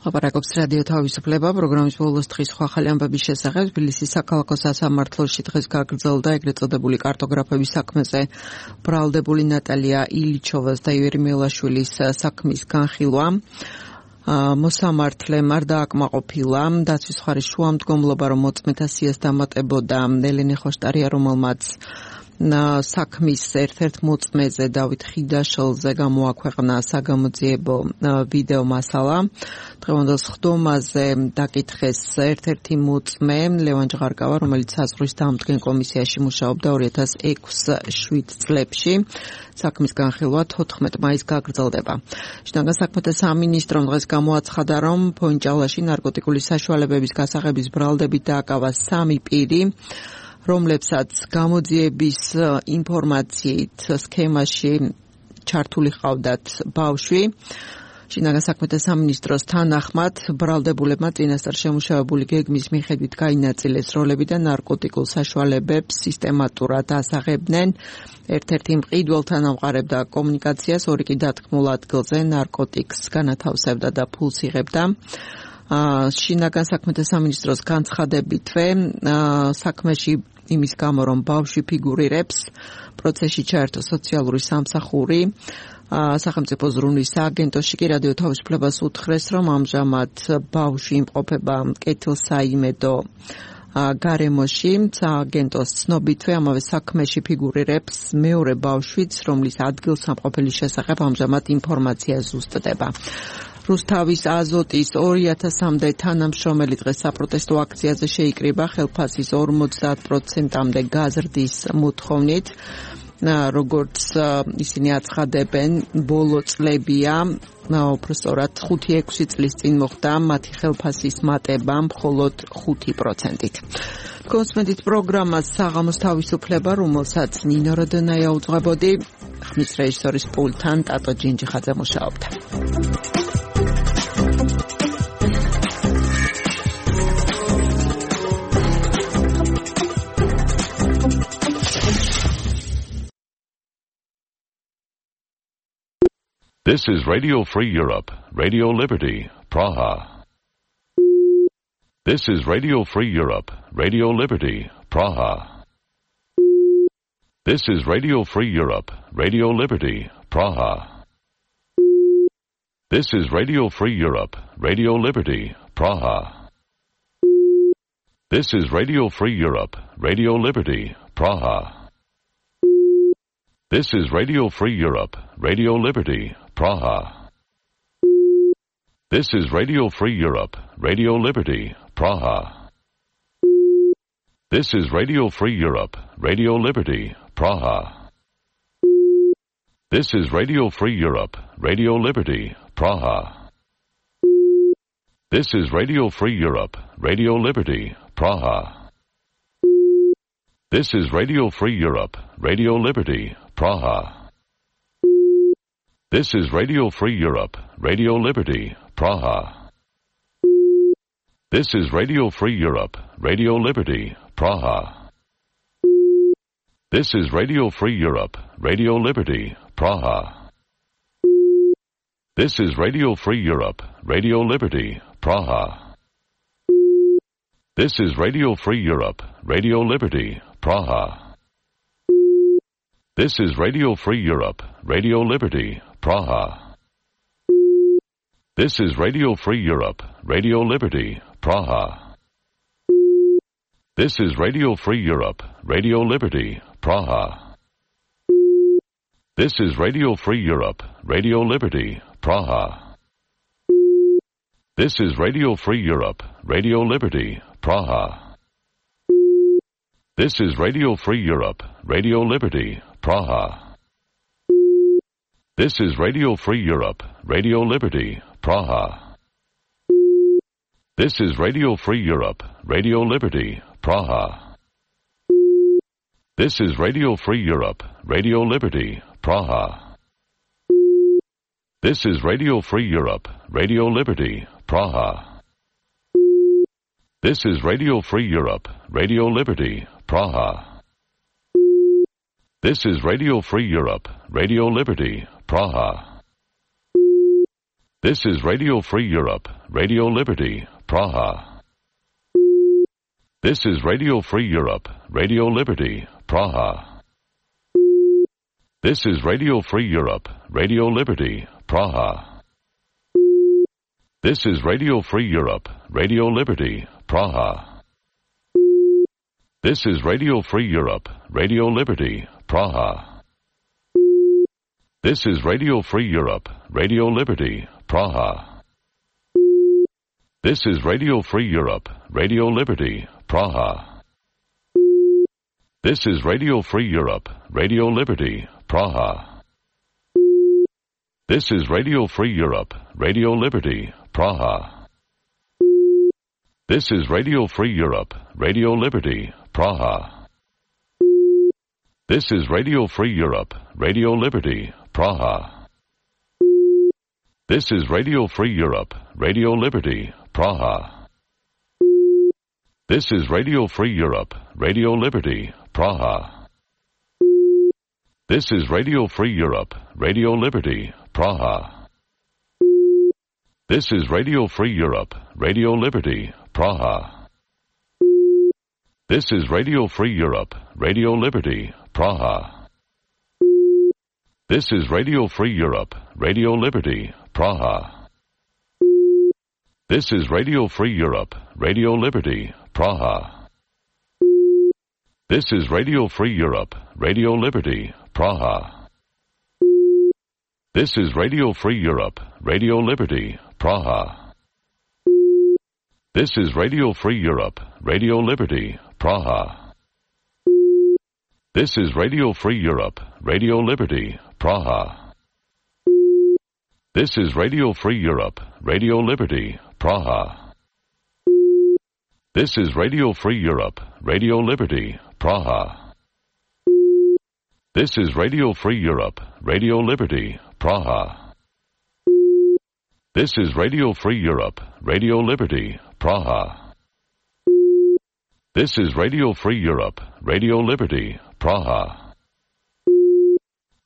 აპარაკობს რადიო თავისუფლება, პროგრამის ბოლოს დღის სხვა ახალი ამბების შესახებ თბილისის საქალაქო სასამართლოში დღეს გაგრძელდა ეგრეთ წოდებული კარტოგრაფების საქმეზე ბრალდებული ნატალია ილიჩოვას და ივერი მელაშვილის საქმის განხილვა. მოსამართლემ არ დააკმაყოფილა დაცვის მხარის შუამდგომლობა, რომ მოწმეთა სიას დამატებოდა ელენე ხოშტარია, რომელმაც საქმის ერთ-ერთ მოწმეზე დავით ხიდაშელზე გამოაქვეყნა საგამოძიებო ვიდეო მასალა. დღევანდელ სხდომაზე დაკითხეს ერთ-ერთი მოწმე ლევან ჟღარკავა, რომელიც საზღვრის დამდგენ კომისიაში მუშაობდა 2006-7 წლებში. საქმის განხილვა 14 მაისს გაგრძელდება. შინაგან საქმეთა სამინისტრომ დღეს გამოაცხადა, რომ ფონჭალაში ნარკოტიკული საშუალებების გასაღების ბრალდებით დააკავა 3 პირი, რომლებსაც გამოძიების ინფორმაციით სქემაში ჩართული ჰყავდათ ბავშვი. შინაგან საქმეთა სამინისტროს თანახმად ბრალდებულებმა წინასწარ შემუშავებული გეგმის მიხედვით გაინაწილეს როლები და ნარკოტიკულ საშუალებებს სისტემატურად ასაღებდნენ. ერთ-ერთი მყიდველთან ამყარებდა კომუნიკაციას, ორი კი დათქმულ ადგილზე ნარკოტიკს განათავსებდა და ფულს იღებდა. შინაგან საქმეთა სამინისტროს განცხადებითვე საქმეში იმის გამო, რომ ბავშვი ფიგურირებს, პროცესში ჩაერთო სოციალური სამსახური. სახელმწიფო ზრუნვის სააგენტოში კი რადიო თავისუფლებას უთხრეს, რომ ამჟამად ბავშვი იმყოფება კეთილსაიმედო გარემოში. სააგენტოს ცნობითვე ამავე საქმეში ფიგურირებს მეორე ბავშვიც, რომლის ადგილსამყოფელის შესახებ ამჟამად ინფორმაცია ზუსტდება. რუსთავის აზოტის 2000-მდე თანამშრომელი დღეს საპროტესტო აქციაზე შეიკრიბა ხელფასის 50%-მდე გაზრდის მოთხოვნით. როგორც ისინი აცხადებენ, ბოლო წლებია უბრალოდ 5-6 წლის წინ მოხდა მათი ხელფასის მატება მხოლოდ 5%-ით. კონსმედით პროგრამას საღამოს თავისუფლება, რომელსაც ნინო როდონაია უძღვებოდი, ხმის რეჟისორის პულტთან ტატო ჯინჯიხაძე მუშაობდა. This is Radio Free Europe, Radio Liberty, Praha. This is Radio Free Europe, Radio Liberty, Praha. This is Radio Free Europe, Radio Liberty, Praha. This is Radio Free Europe, Radio Liberty, Praha. This is Radio Free Europe, Radio Liberty, Praha. This is Radio Free Europe, Radio Liberty, Praha. This is Radio Free Europe, Radio Liberty, Praha. This is Radio Free Europe, Radio Liberty, Praha. This is Radio Free Europe, Radio Liberty, Praha. This is Radio Free Europe, Radio Liberty, Praha. This is Radio Free Europe, Radio Liberty, Praha. This is Radio Free Europe, Radio Liberty, Praha. This is Radio Free Europe, Radio Liberty, Praha. This is Radio Free Europe, Radio Liberty, Praha. This is Radio Free Europe, Radio Liberty, Praha. This is Radio Free Europe, Radio Liberty, Praha. This is Radio Free Europe, Radio Liberty, Praha. This is Radio Free Europe, Radio Liberty, Praha. This is Radio Free Europe, Radio Liberty, Praha. This is Radio Free Europe, Radio Liberty, Praha. This is Radio Free Europe, Radio Liberty, Praha. This is Radio Free Europe, Radio Liberty, Praha. This is Radio Free Europe, Radio Liberty, Praha. This is Radio Free Europe, Radio Liberty, Praha. This is Radio Free Europe, Radio Liberty, Praha. This is Radio Free Europe, Radio Liberty, Praha. This is Radio Free Europe, Radio Liberty, Praha. This is Radio Free Europe, Radio Liberty, Praha. This is Radio Free Europe, Radio Liberty, Praha. This is Radio Free Europe, Radio Liberty, Praha. This is Radio Free Europe, Radio Liberty, Praha. This is Radio Free Europe, Radio Liberty, Praha. This is Radio Free Europe, Radio Liberty, Praha. This is Radio Free Europe, Radio Liberty, Praha. This is Radio Free Europe, Radio Liberty, Praha. This is Radio Free Europe, Radio Liberty, Praha. This is Radio Free Europe, Radio Liberty, Praha. This is Radio Free Europe, Radio Liberty, Praha. This is Radio Free Europe, Radio Liberty, Praha. This is Radio Free Europe, Radio Liberty, Praha. This is Radio Free Europe, Radio Liberty, Praha. This is Radio Free Europe, Radio Liberty, Praha. This is Radio Free Europe, Radio Liberty, Praha. This is Radio Free Europe, Radio Liberty, Praha. This is Radio Free Europe, Radio Liberty, Praha. This is Radio Free Europe, Radio Liberty, Praha. This is Radio Free Europe, Radio Liberty, Praha. This is Radio Free Europe, Radio Liberty, Praha. This is Radio Free Europe, Radio Liberty, Praha. This is Radio Free Europe, Radio Liberty, Praha. This is Radio Free Europe, Radio Liberty, Praha. This is Radio Free Europe, Radio Liberty, Praha. This is Radio Free Europe, Radio Liberty, Praha. This is Radio Free Europe, Radio Liberty, Praha. This is Radio Free Europe, Radio Liberty, Praha.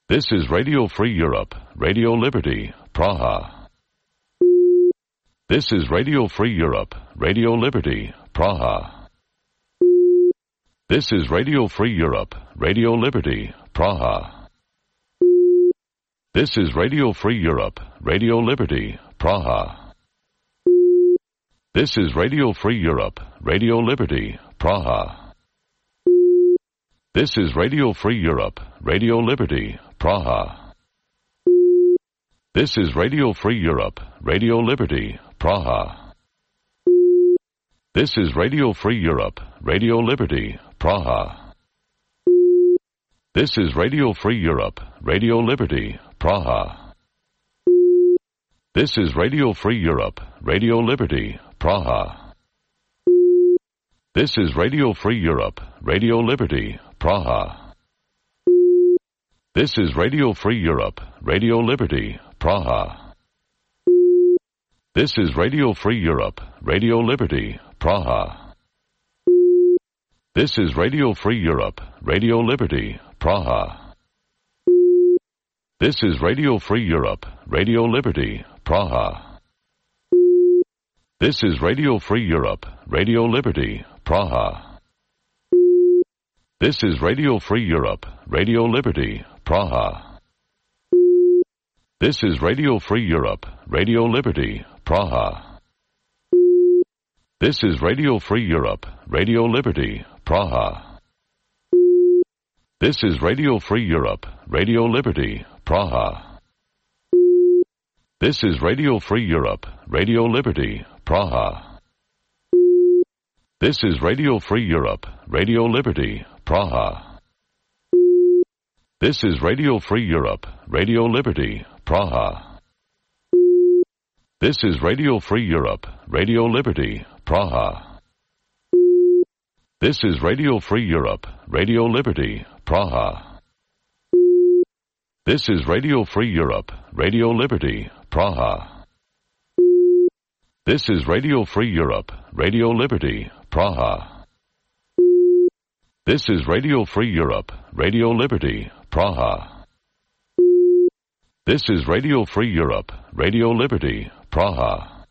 This is Radio Free Europe, Radio Liberty, Praha. This is Radio Free Europe, Radio Liberty, Praha. This is Radio Free Europe, Radio Liberty, Praha. This is Radio Free Europe, Radio Liberty, Praha. This is Radio Free Europe, Radio Liberty, Praha. This is Radio Free Europe, Radio Liberty, Praha. This is Radio Free Europe, Radio Liberty, Praha. This is Radio Free Europe, Radio Liberty, Praha. This is Radio Free Europe, Radio Liberty, Praha. This is Radio Free Europe, Radio Liberty, Praha. This is Radio Free Europe, Radio Liberty, Praha. This is Radio Free Europe, Radio Liberty, Praha. This is Radio Free Europe, Radio Liberty, Praha. This is Radio Free Europe, Radio Liberty, Praha. This is Radio Free Europe, Radio Liberty, Praha. This is Radio Free Europe, Radio Liberty, Praha. This is Radio Free Europe, Radio Liberty, Praha. This is Radio Free Europe, Radio Liberty, Praha. This is Radio Free Europe, Radio Liberty, Praha. This is Radio Free Europe, Radio Liberty, Praha. This is Radio Free Europe, Radio Liberty, Praha. This is Radio Free Europe, Radio Liberty, Praha. This is Radio Free Europe, Radio Liberty, Praha. This is Radio Free Europe, Radio Liberty, Praha. This is Radio Free Europe, Radio Liberty, Praha. This is Radio Free Europe, Radio Liberty, Praha. This is Radio Free Europe, Radio Liberty, Praha. This is Radio Free Europe, Radio Liberty, Praha. This is Radio Free Europe, Radio Liberty, Praha.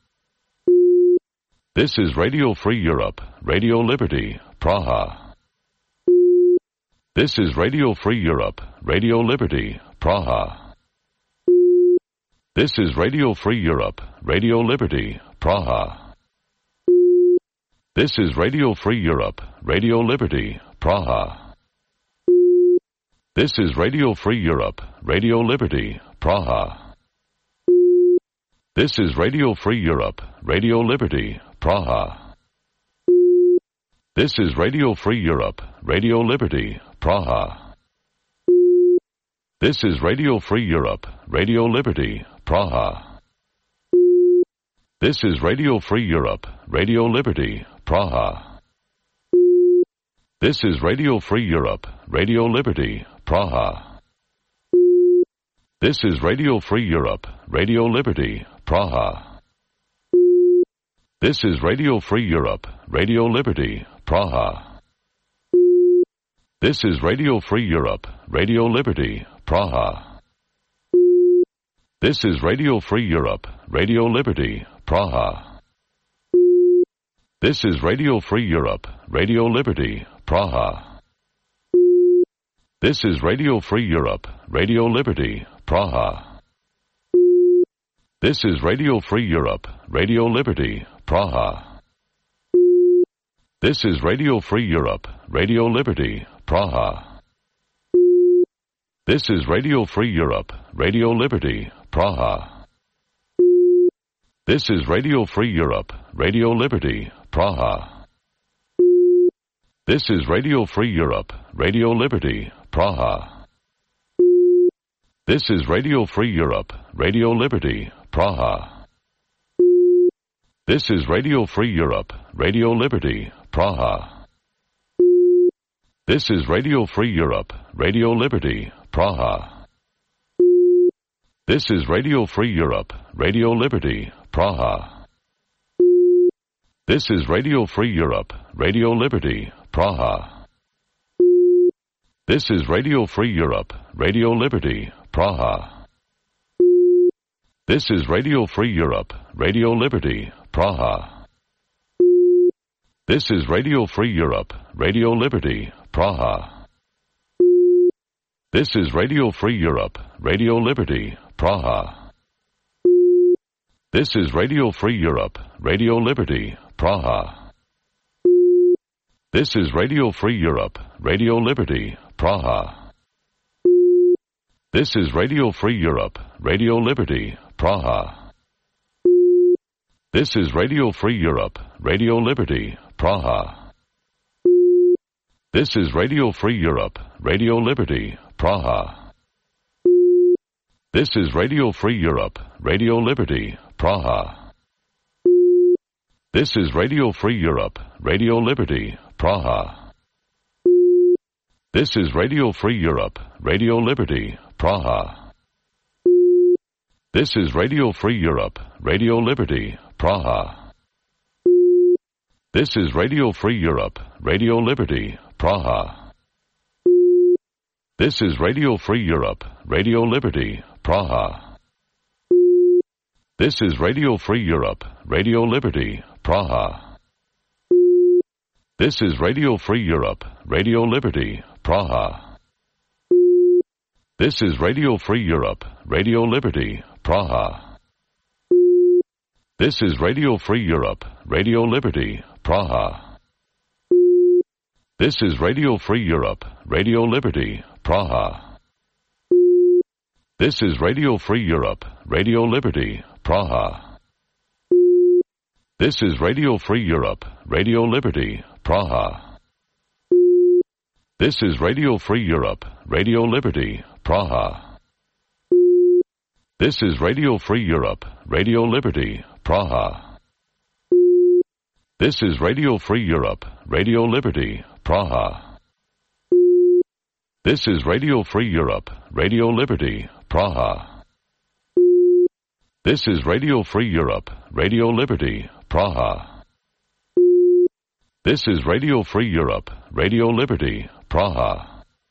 This is Radio Free Europe, Radio Liberty, Praha. This is Radio Free Europe, Radio Liberty, Praha. This is Radio Free Europe, Radio Liberty, Praha. This is Radio Free Europe, Radio Liberty, Praha. This is Radio Free Europe, Radio Liberty, Praha. This is Radio Free Europe, Radio Liberty, Praha. This is Radio Free Europe, Radio Liberty, Praha. This is Radio Free Europe, Radio Liberty, Praha. This is Radio Free Europe, Radio Liberty, Praha. This is Radio Free Europe, Radio Liberty, Praha. This is Radio Free Europe, Radio Liberty, Praha. This is Radio Free Europe, Radio Liberty, Praha. This is Radio Free Europe, Radio Liberty, Praha. This is Radio Free Europe, Radio Liberty, Praha. This is Radio Free Europe, Radio Liberty, Praha. This is Radio Free Europe, Radio Liberty, Praha. This is Radio Free Europe, Radio Liberty, Praha. This is Radio Free Europe, Radio Liberty, Praha. This is Radio Free Europe, Radio Liberty, Praha. This is Radio Free Europe, Radio Liberty, Praha. This is Radio Free Europe, Radio Liberty, Praha. This is Radio Free Europe, Radio Liberty, Praha. This is Radio Free Europe, Radio Liberty, Praha. This is Radio Free Europe, Radio Liberty, Praha. This is Radio Free Europe, Radio Liberty, Praha. This is Radio Free Europe, Radio Liberty, Praha. This is Radio Free Europe, Radio Liberty, Praha. This is Radio Free Europe, Radio Liberty, Praha. This is Radio Free Europe, Radio Liberty, Praha. This is Radio Free Europe, Radio Liberty, Praha. This is Radio Free Europe, Radio Liberty, Praha. This is Radio Free Europe, Radio Liberty, Praha. This is Radio Free Europe, Radio Liberty, Praha. This is Radio Free Europe, Radio Liberty, Praha. This is Radio Free Europe, Radio Liberty, Praha. This is Radio Free Europe, Radio Liberty, Praha. This is Radio Free Europe, Radio Liberty, Praha. This is Radio Free Europe, Radio Liberty, Praha. This is Radio Free Europe, Radio Liberty, Praha. This is Radio Free Europe, Radio Liberty, Praha. This is Radio Free Europe, Radio Liberty, Praha. This is Radio Free Europe, Radio Liberty, Praha. This is Radio Free Europe, Radio Liberty, Praha. This is Radio Free Europe, Radio Liberty, Praha. This is Radio Free Europe, Radio Liberty, Praha. This is Radio Free Europe, Radio Liberty, Praha. This is Radio Free Europe, Radio Liberty, Praha. This is Radio Free Europe, Radio Liberty, Praha. This is Radio Free Europe, Radio Liberty, Praha. This is Radio Free Europe, Radio Liberty, Praha. This is Radio Free Europe, Radio Liberty, Praha. This is Radio Free Europe, Radio Liberty, Praha. This is Radio Free Europe, Radio Liberty, Praha. This is Radio Free Europe, Radio Liberty, Praha.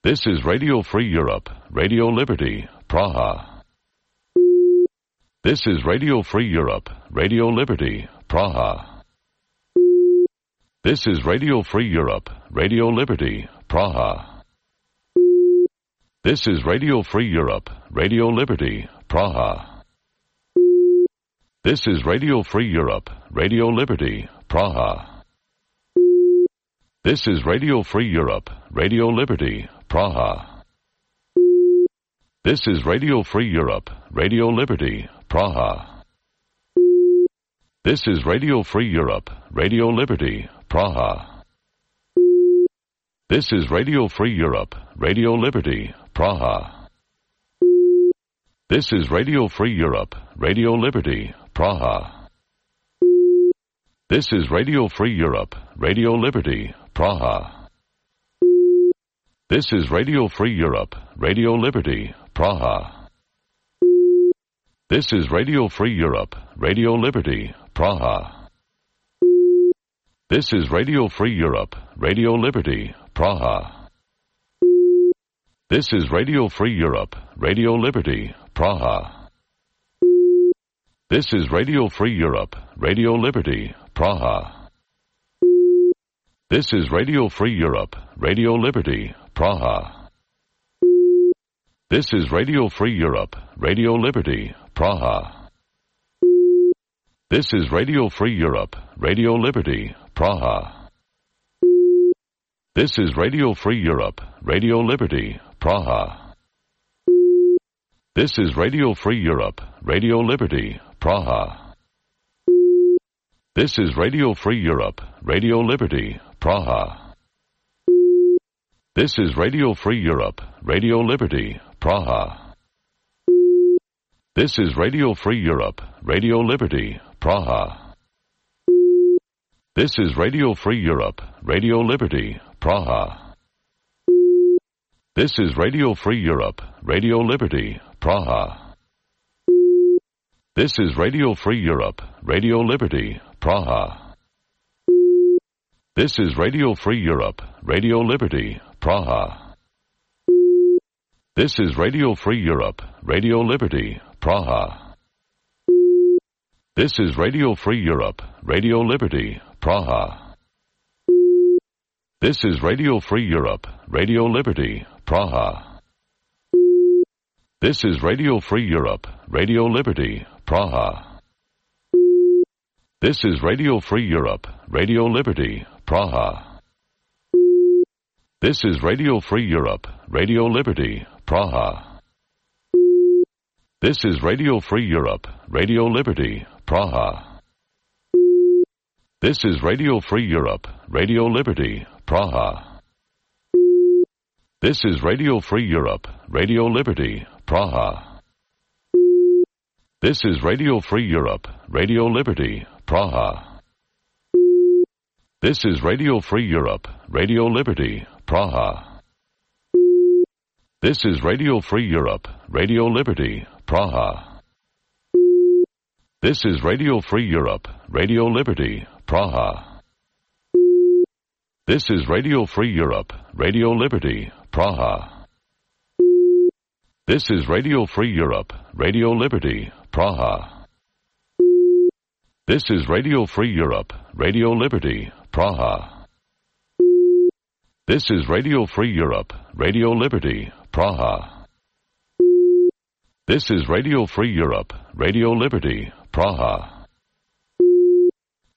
This is Radio Free Europe, Radio Liberty, Praha. This is Radio Free Europe, Radio Liberty, Praha. This is Radio Free Europe, Radio Liberty, Praha. This is Radio Free Europe, Radio Liberty, Praha. This is Radio Free Europe, Radio Liberty, Praha. This is Radio Free Europe, Radio Liberty, Praha. This is Radio Free Europe, Radio Liberty, Praha. This is Radio Free Europe, Radio Liberty, Praha. This is Radio Free Europe, Radio Liberty, Praha. This is Radio Free Europe, Radio Liberty, Praha. This is Radio Free Europe, Radio Liberty, Praha. This is Radio Free Europe, Radio Liberty, Praha. This is Radio Free Europe, Radio Liberty, Praha. This is Radio Free Europe, Radio Liberty, Praha. This is Radio Free Europe, Radio Liberty, Praha. This is Radio Free Europe, Radio Liberty, Praha. This is Radio Free Europe, Radio Liberty, Praha. This is Radio Free Europe, Radio Liberty, Praha. This is Radio Free Europe, Radio Liberty, Praha. This is Radio Free Europe, Radio Liberty, Praha. This is Radio Free Europe, Radio Liberty, Praha. This is Radio Free Europe, Radio Liberty, Praha. This is Radio Free Europe, Radio Liberty, Praha. This is Radio Free Europe, Radio Liberty, Praha. This is Radio Free Europe, Radio Liberty, Praha. This is Radio Free Europe, Radio Liberty, Praha. This is Radio Free Europe, Radio Liberty, Praha. This is Radio Free Europe, Radio Liberty, Praha. This is Radio Free Europe, Radio Liberty, Praha. This is Radio Free Europe, Radio Liberty, Praha. This is Radio Free Europe, Radio Liberty, Praha. This is Radio Free Europe, Radio Liberty, Praha. This is Radio Free Europe, Radio Liberty, Praha. This is Radio Free Europe, Radio Liberty, Praha. This is Radio Free Europe, Radio Liberty, Praha. This is Radio Free Europe, Radio Liberty, Praha. This is Radio Free Europe, Radio Liberty, Praha. This is Radio Free Europe, Radio Liberty, Praha. This is Radio Free Europe, Radio Liberty, Praha. This is Radio Free Europe, Radio Liberty, Praha. This is Radio Free Europe, Radio Liberty, Praha. This is Radio Free Europe, Radio Liberty, Praha. This is Radio Free Europe, Radio Liberty, Praha. This is Radio Free Europe, Radio Liberty, Praha. This is Radio Free Europe, Radio Liberty, Praha. This is Radio Free Europe, Radio Liberty, Praha.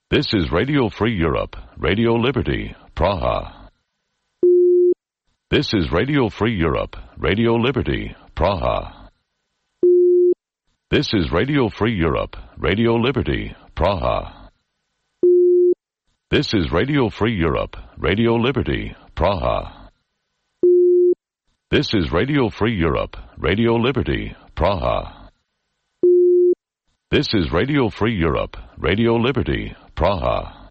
This is Radio Free Europe, Radio Liberty, Praha. This is Radio Free Europe, Radio Liberty, Praha. This is Radio Free Europe, Radio Liberty, Praha. This is Radio Free Europe, Radio Liberty, Praha. This is Radio Free Europe, Radio Liberty, Praha.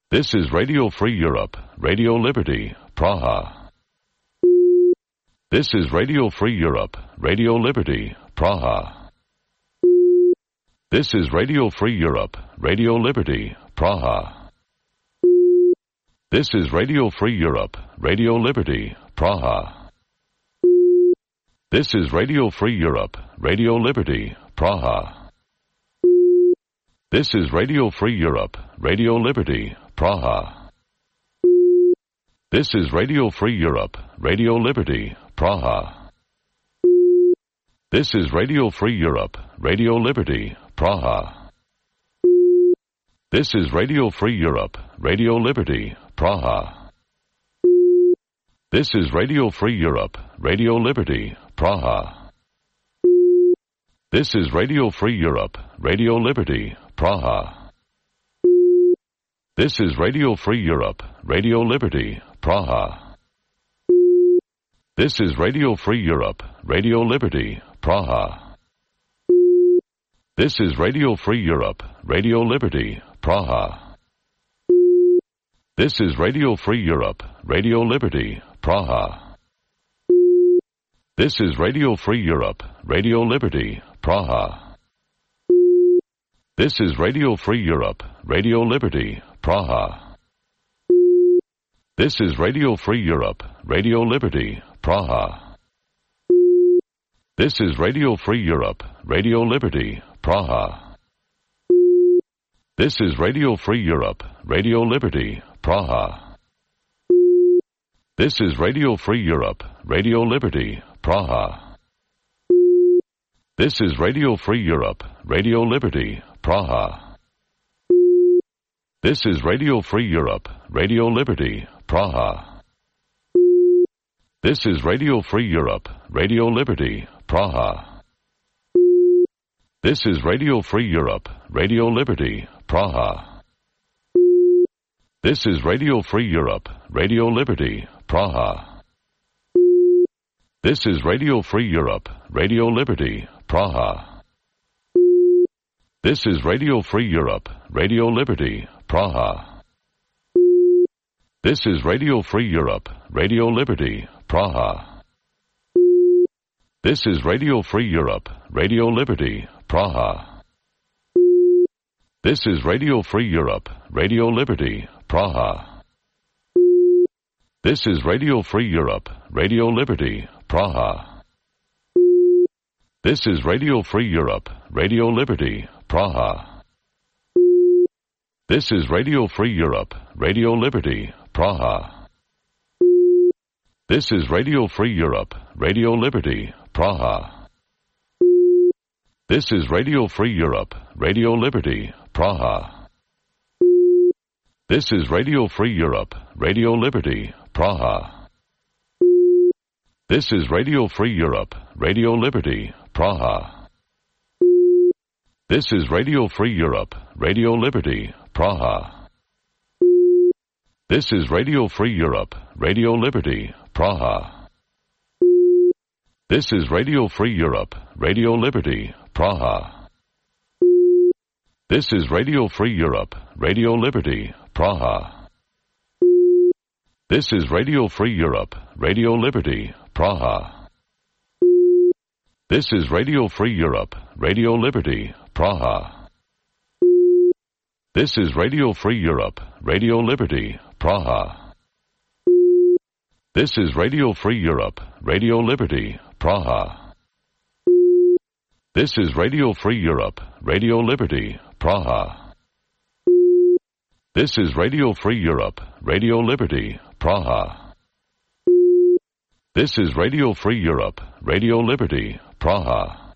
This is Radio Free Europe, Radio Liberty, Praha. This is Radio Free Europe, Radio Liberty, Praha. This is Radio Free Europe, Radio Liberty, Praha. This is Radio Free Europe, Radio Liberty, Praha. This is Radio Free Europe, Radio Liberty, Praha. This is Radio Free Europe, Radio Liberty, Praha. This is Radio Free Europe, Radio Liberty, Praha. This is Radio Free Europe, Radio Liberty, Praha. This is Radio Free Europe, Radio Liberty, Praha. This is Radio Free Europe, Radio Liberty, Praha. This is Radio Free Europe, Radio Liberty, Praha. This is Radio Free Europe, Radio Liberty, Praha. This is Radio Free Europe, Radio Liberty, Praha. This is Radio Free Europe, Radio Liberty, Praha. This is Radio Free Europe, Radio Liberty, Praha. This is Radio Free Europe, Radio Liberty, Praha. This is Radio Free Europe, Radio Liberty, Praha. This is Radio Free Europe, Radio Liberty, Praha. This is Radio Free Europe, Radio Liberty, Praha. This is Radio Free Europe, Radio Liberty, Praha. This is Radio Free Europe, Radio Liberty, Praha. This is Radio Free Europe, Radio Liberty, Praha. This is Radio Free Europe, Radio Liberty, Praha. This is Radio Free Europe, Radio Liberty, Praha. This is Radio Free Europe, Radio Liberty, Praha. This is Radio Free Europe, Radio Liberty, Praha. This is Radio Free Europe, Radio Liberty, Praha. This is Radio Free Europe, Radio Liberty, Praha. This is Radio Free Europe, Radio Liberty, Praha. This is Radio Free Europe, Radio Liberty, Praha. This is Radio Free Europe, Radio Liberty, Praha. This is Radio Free Europe, Radio Liberty, Praha. This is Radio Free Europe, Radio Liberty, Praha. This is Radio Free Europe, Radio Liberty, Praha. This is Radio Free Europe, Radio Liberty, Praha. This is Radio Free Europe, Radio Liberty, Praha. This is Radio Free Europe, Radio Liberty, Praha. This is Radio Free Europe, Radio Liberty, Praha. This is Radio Free Europe, Radio Liberty, Praha. This is Radio Free Europe, Radio Liberty, Praha. This is Radio Free Europe, Radio Liberty, Praha. This is Radio Free Europe, Radio Liberty, Praha. This is Radio Free Europe, Radio Liberty, Praha. This is Radio Free Europe, Radio Liberty, Praha. This is Radio Free Europe, Radio Liberty, Praha. This is Radio Free Europe, Radio Liberty, Praha. This is Radio Free Europe, Radio Liberty, Praha. This is Radio Free Europe, Radio Liberty, Praha. This is Radio Free Europe, Radio Liberty, Praha. This is Radio Free Europe, Radio Liberty, Praha.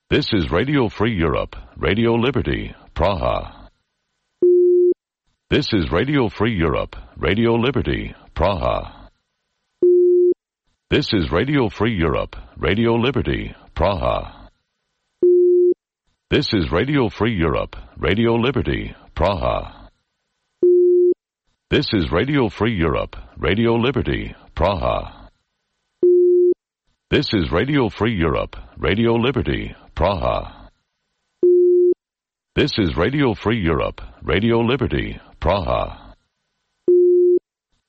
This is Radio Free Europe, Radio Liberty, Praha. This is Radio Free Europe, Radio Liberty, Praha. This is Radio Free Europe, Radio Liberty, Praha. This is Radio Free Europe, Radio Liberty, Praha. This is Radio Free Europe, Radio Liberty, Praha. This is Radio Free Europe, Radio Liberty, Praha. This is Radio Free Europe, Radio Liberty, Praha.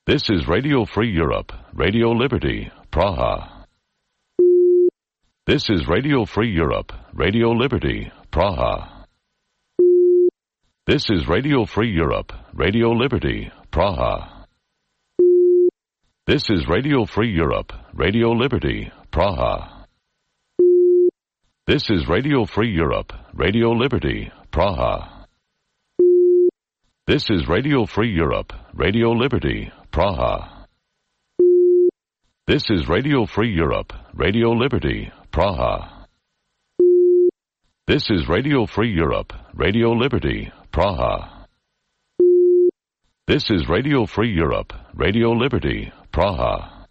This is Radio Free Europe, Radio Liberty, Praha. This is Radio Free Europe, Radio Liberty, Praha. This is Radio Free Europe, Radio Liberty, Praha. This is Radio Free Europe, Radio Liberty, Praha. This is Radio Free Europe, Radio Liberty, Praha. This is Radio Free Europe, Radio Liberty, Praha. This is Radio Free Europe, Radio Liberty, Praha. This is Radio Free Europe, Radio Liberty, Praha. This is Radio Free Europe, Radio Liberty, Praha.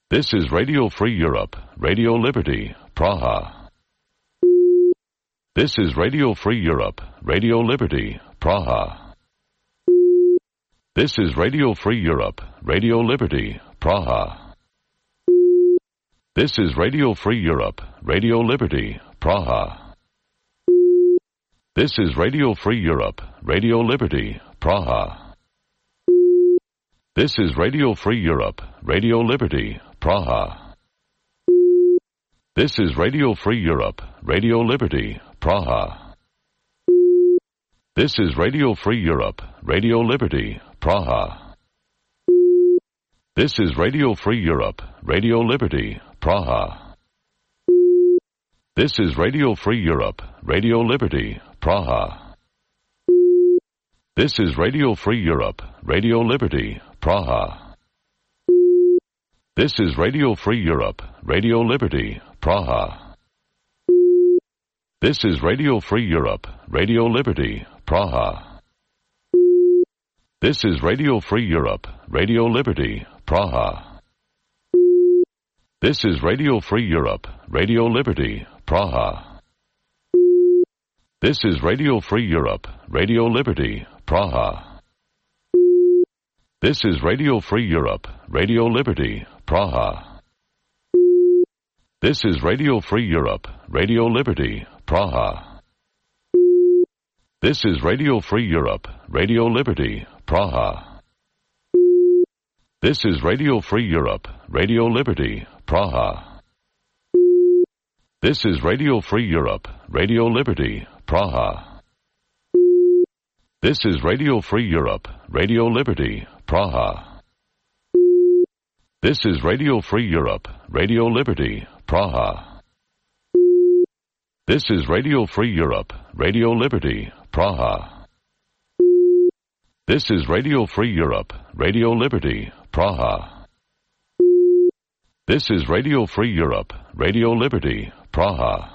This is Radio Free Europe, Radio Liberty, Praha. This is Radio Free Europe, Radio Liberty, Praha. This is Radio Free Europe, Radio Liberty, Praha. This is Radio Free Europe, Radio Liberty, Praha. This is Radio Free Europe, Radio Liberty, Praha. This is Radio Free Europe, Radio Liberty, Praha. This is Radio Free Europe, Radio Liberty, Praha. This is Radio Free Europe, Radio Liberty, Praha. This is Radio Free Europe, Radio Liberty, Praha. This is Radio Free Europe, Radio Liberty, Praha. This is Radio Free Europe, Radio Liberty, Praha. This is Radio Free Europe, Radio Liberty, Praha. This is Radio Free Europe, Radio Liberty, Praha. This is Radio Free Europe, Radio Liberty, Praha. This is Radio Free Europe, Radio Liberty, Praha. This is Radio Free Europe, Radio Liberty, Praha. This is Radio Free Europe, Radio Liberty, Praha. This is Radio Free Europe, Radio Liberty, Praha. This is Radio Free Europe, Radio Liberty, Praha. This is Radio Free Europe, Radio Liberty, Praha. This is Radio Free Europe, Radio Liberty, Praha. This is Radio Free Europe, Radio Liberty, Praha. This is Radio Free Europe, Radio Liberty, Praha. This is Radio Free Europe, Radio Liberty, Praha. This is Radio Free Europe, Radio Liberty, Praha. This is Radio Free Europe, Radio Liberty, Praha.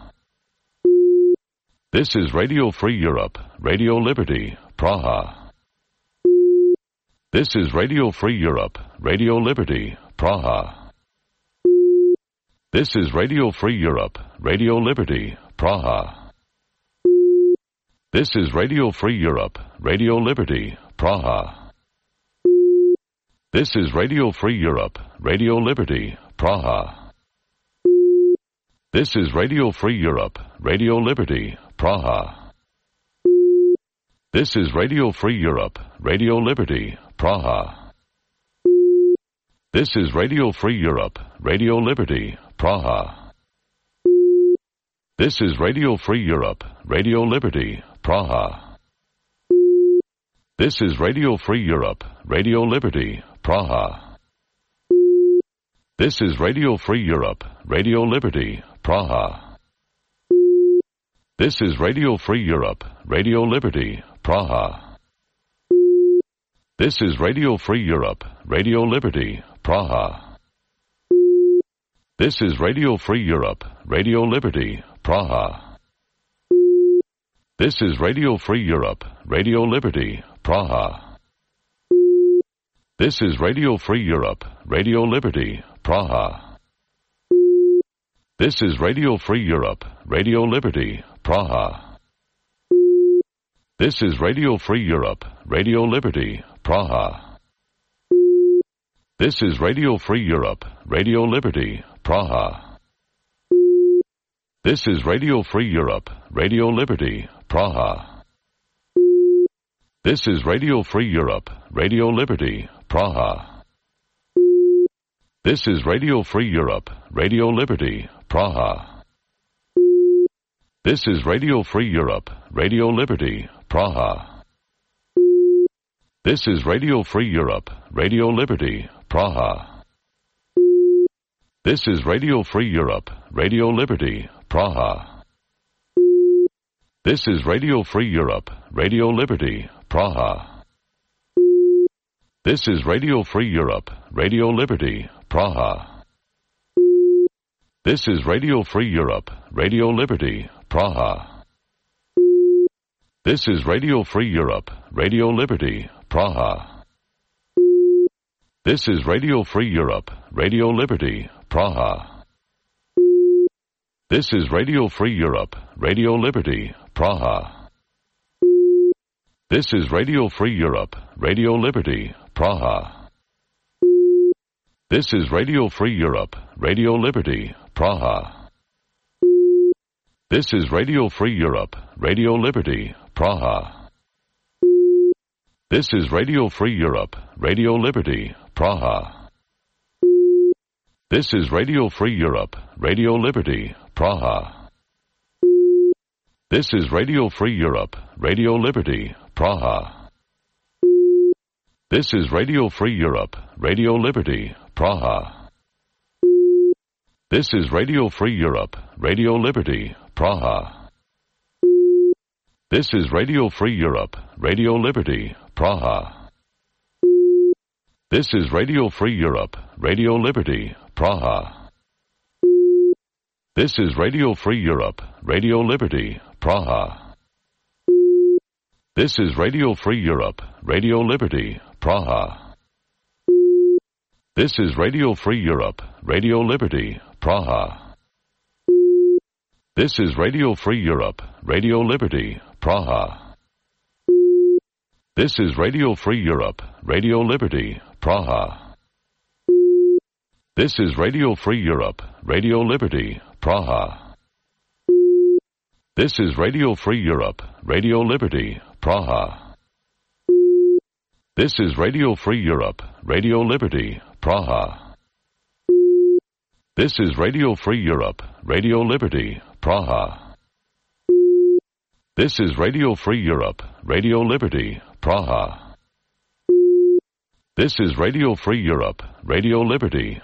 This is Radio Free Europe, Radio Liberty, Praha. This is Radio Free Europe, Radio Liberty, Praha. This is Radio Free Europe, Radio Liberty, Praha. This is Radio Free Europe, Radio Liberty, Praha. This is Radio Free Europe, Radio Liberty, Praha. This is Radio Free Europe, Radio Liberty, Praha. This is Radio Free Europe, Radio Liberty, Praha. This is Radio Free Europe, Radio Liberty, Praha. This is Radio Free Europe, Radio Liberty, Praha. This is Radio Free Europe, Radio Liberty, Praha. This is Radio Free Europe, Radio Liberty, Praha. This is Radio Free Europe, Radio Liberty, Praha. This is Radio Free Europe, Radio Liberty, Praha. This is Radio Free Europe, Radio Liberty, Praha. This is Radio Free Europe, Radio Liberty, Praha. This is Radio Free Europe, Radio Liberty, Praha. This is Radio Free Europe, Radio Liberty, Praha. This is Radio Free Europe, Radio Liberty, Praha. This is Radio Free Europe, Radio Liberty, Praha. This is Radio Free Europe, Radio Liberty, Praha. This is Radio Free Europe, Radio Liberty, Praha. This is Radio Free Europe, Radio Liberty, Praha. This is Radio Free Europe, Radio Liberty, Praha. This is Radio Free Europe, Radio Liberty, Praha. This is Radio Free Europe, Radio Liberty, Praha. This is Radio Free Europe, Radio Liberty, Praha. This is Radio Free Europe, Radio Liberty, Praha. This is Radio Free Europe, Radio Liberty, Praha. This is Radio Free Europe, Radio Liberty, Praha. This is Radio Free Europe, Radio Liberty, Praha. This is Radio Free Europe, Radio Liberty, Praha. This is Radio Free Europe, Radio Liberty, Praha. This is Radio Free Europe, Radio Liberty, Praha. This is Radio Free Europe, Radio Liberty, Praha. This is Radio Free Europe, Radio Liberty, Praha. This is Radio Free Europe, Radio Liberty, Praha. This is Radio Free Europe, Radio Liberty, Praha. This is Radio Free Europe, Radio Liberty, Praha. This is Radio Free Europe, Radio Liberty, Praha. This is Radio Free Europe, Radio Liberty, Praha. This is Radio Free Europe, Radio Liberty, Praha. This is Radio Free Europe, Radio Liberty, Praha. This is Radio Free Europe, Radio Liberty, Praha. This is Radio Free Europe, Radio Liberty, Praha. This is Radio Free Europe, Radio Liberty, Praha. This is Radio Free Europe, Radio Liberty, Praha. This is Radio Free Europe, Radio Liberty, Praha. This is Radio Free Europe, Radio Liberty, Praha. This is Radio Free Europe, Radio Liberty, Praha. This is Radio Free Europe, Radio Liberty, Praha. This is Radio Free Europe, Radio Liberty, Praha. This is Radio Free Europe, Radio Liberty,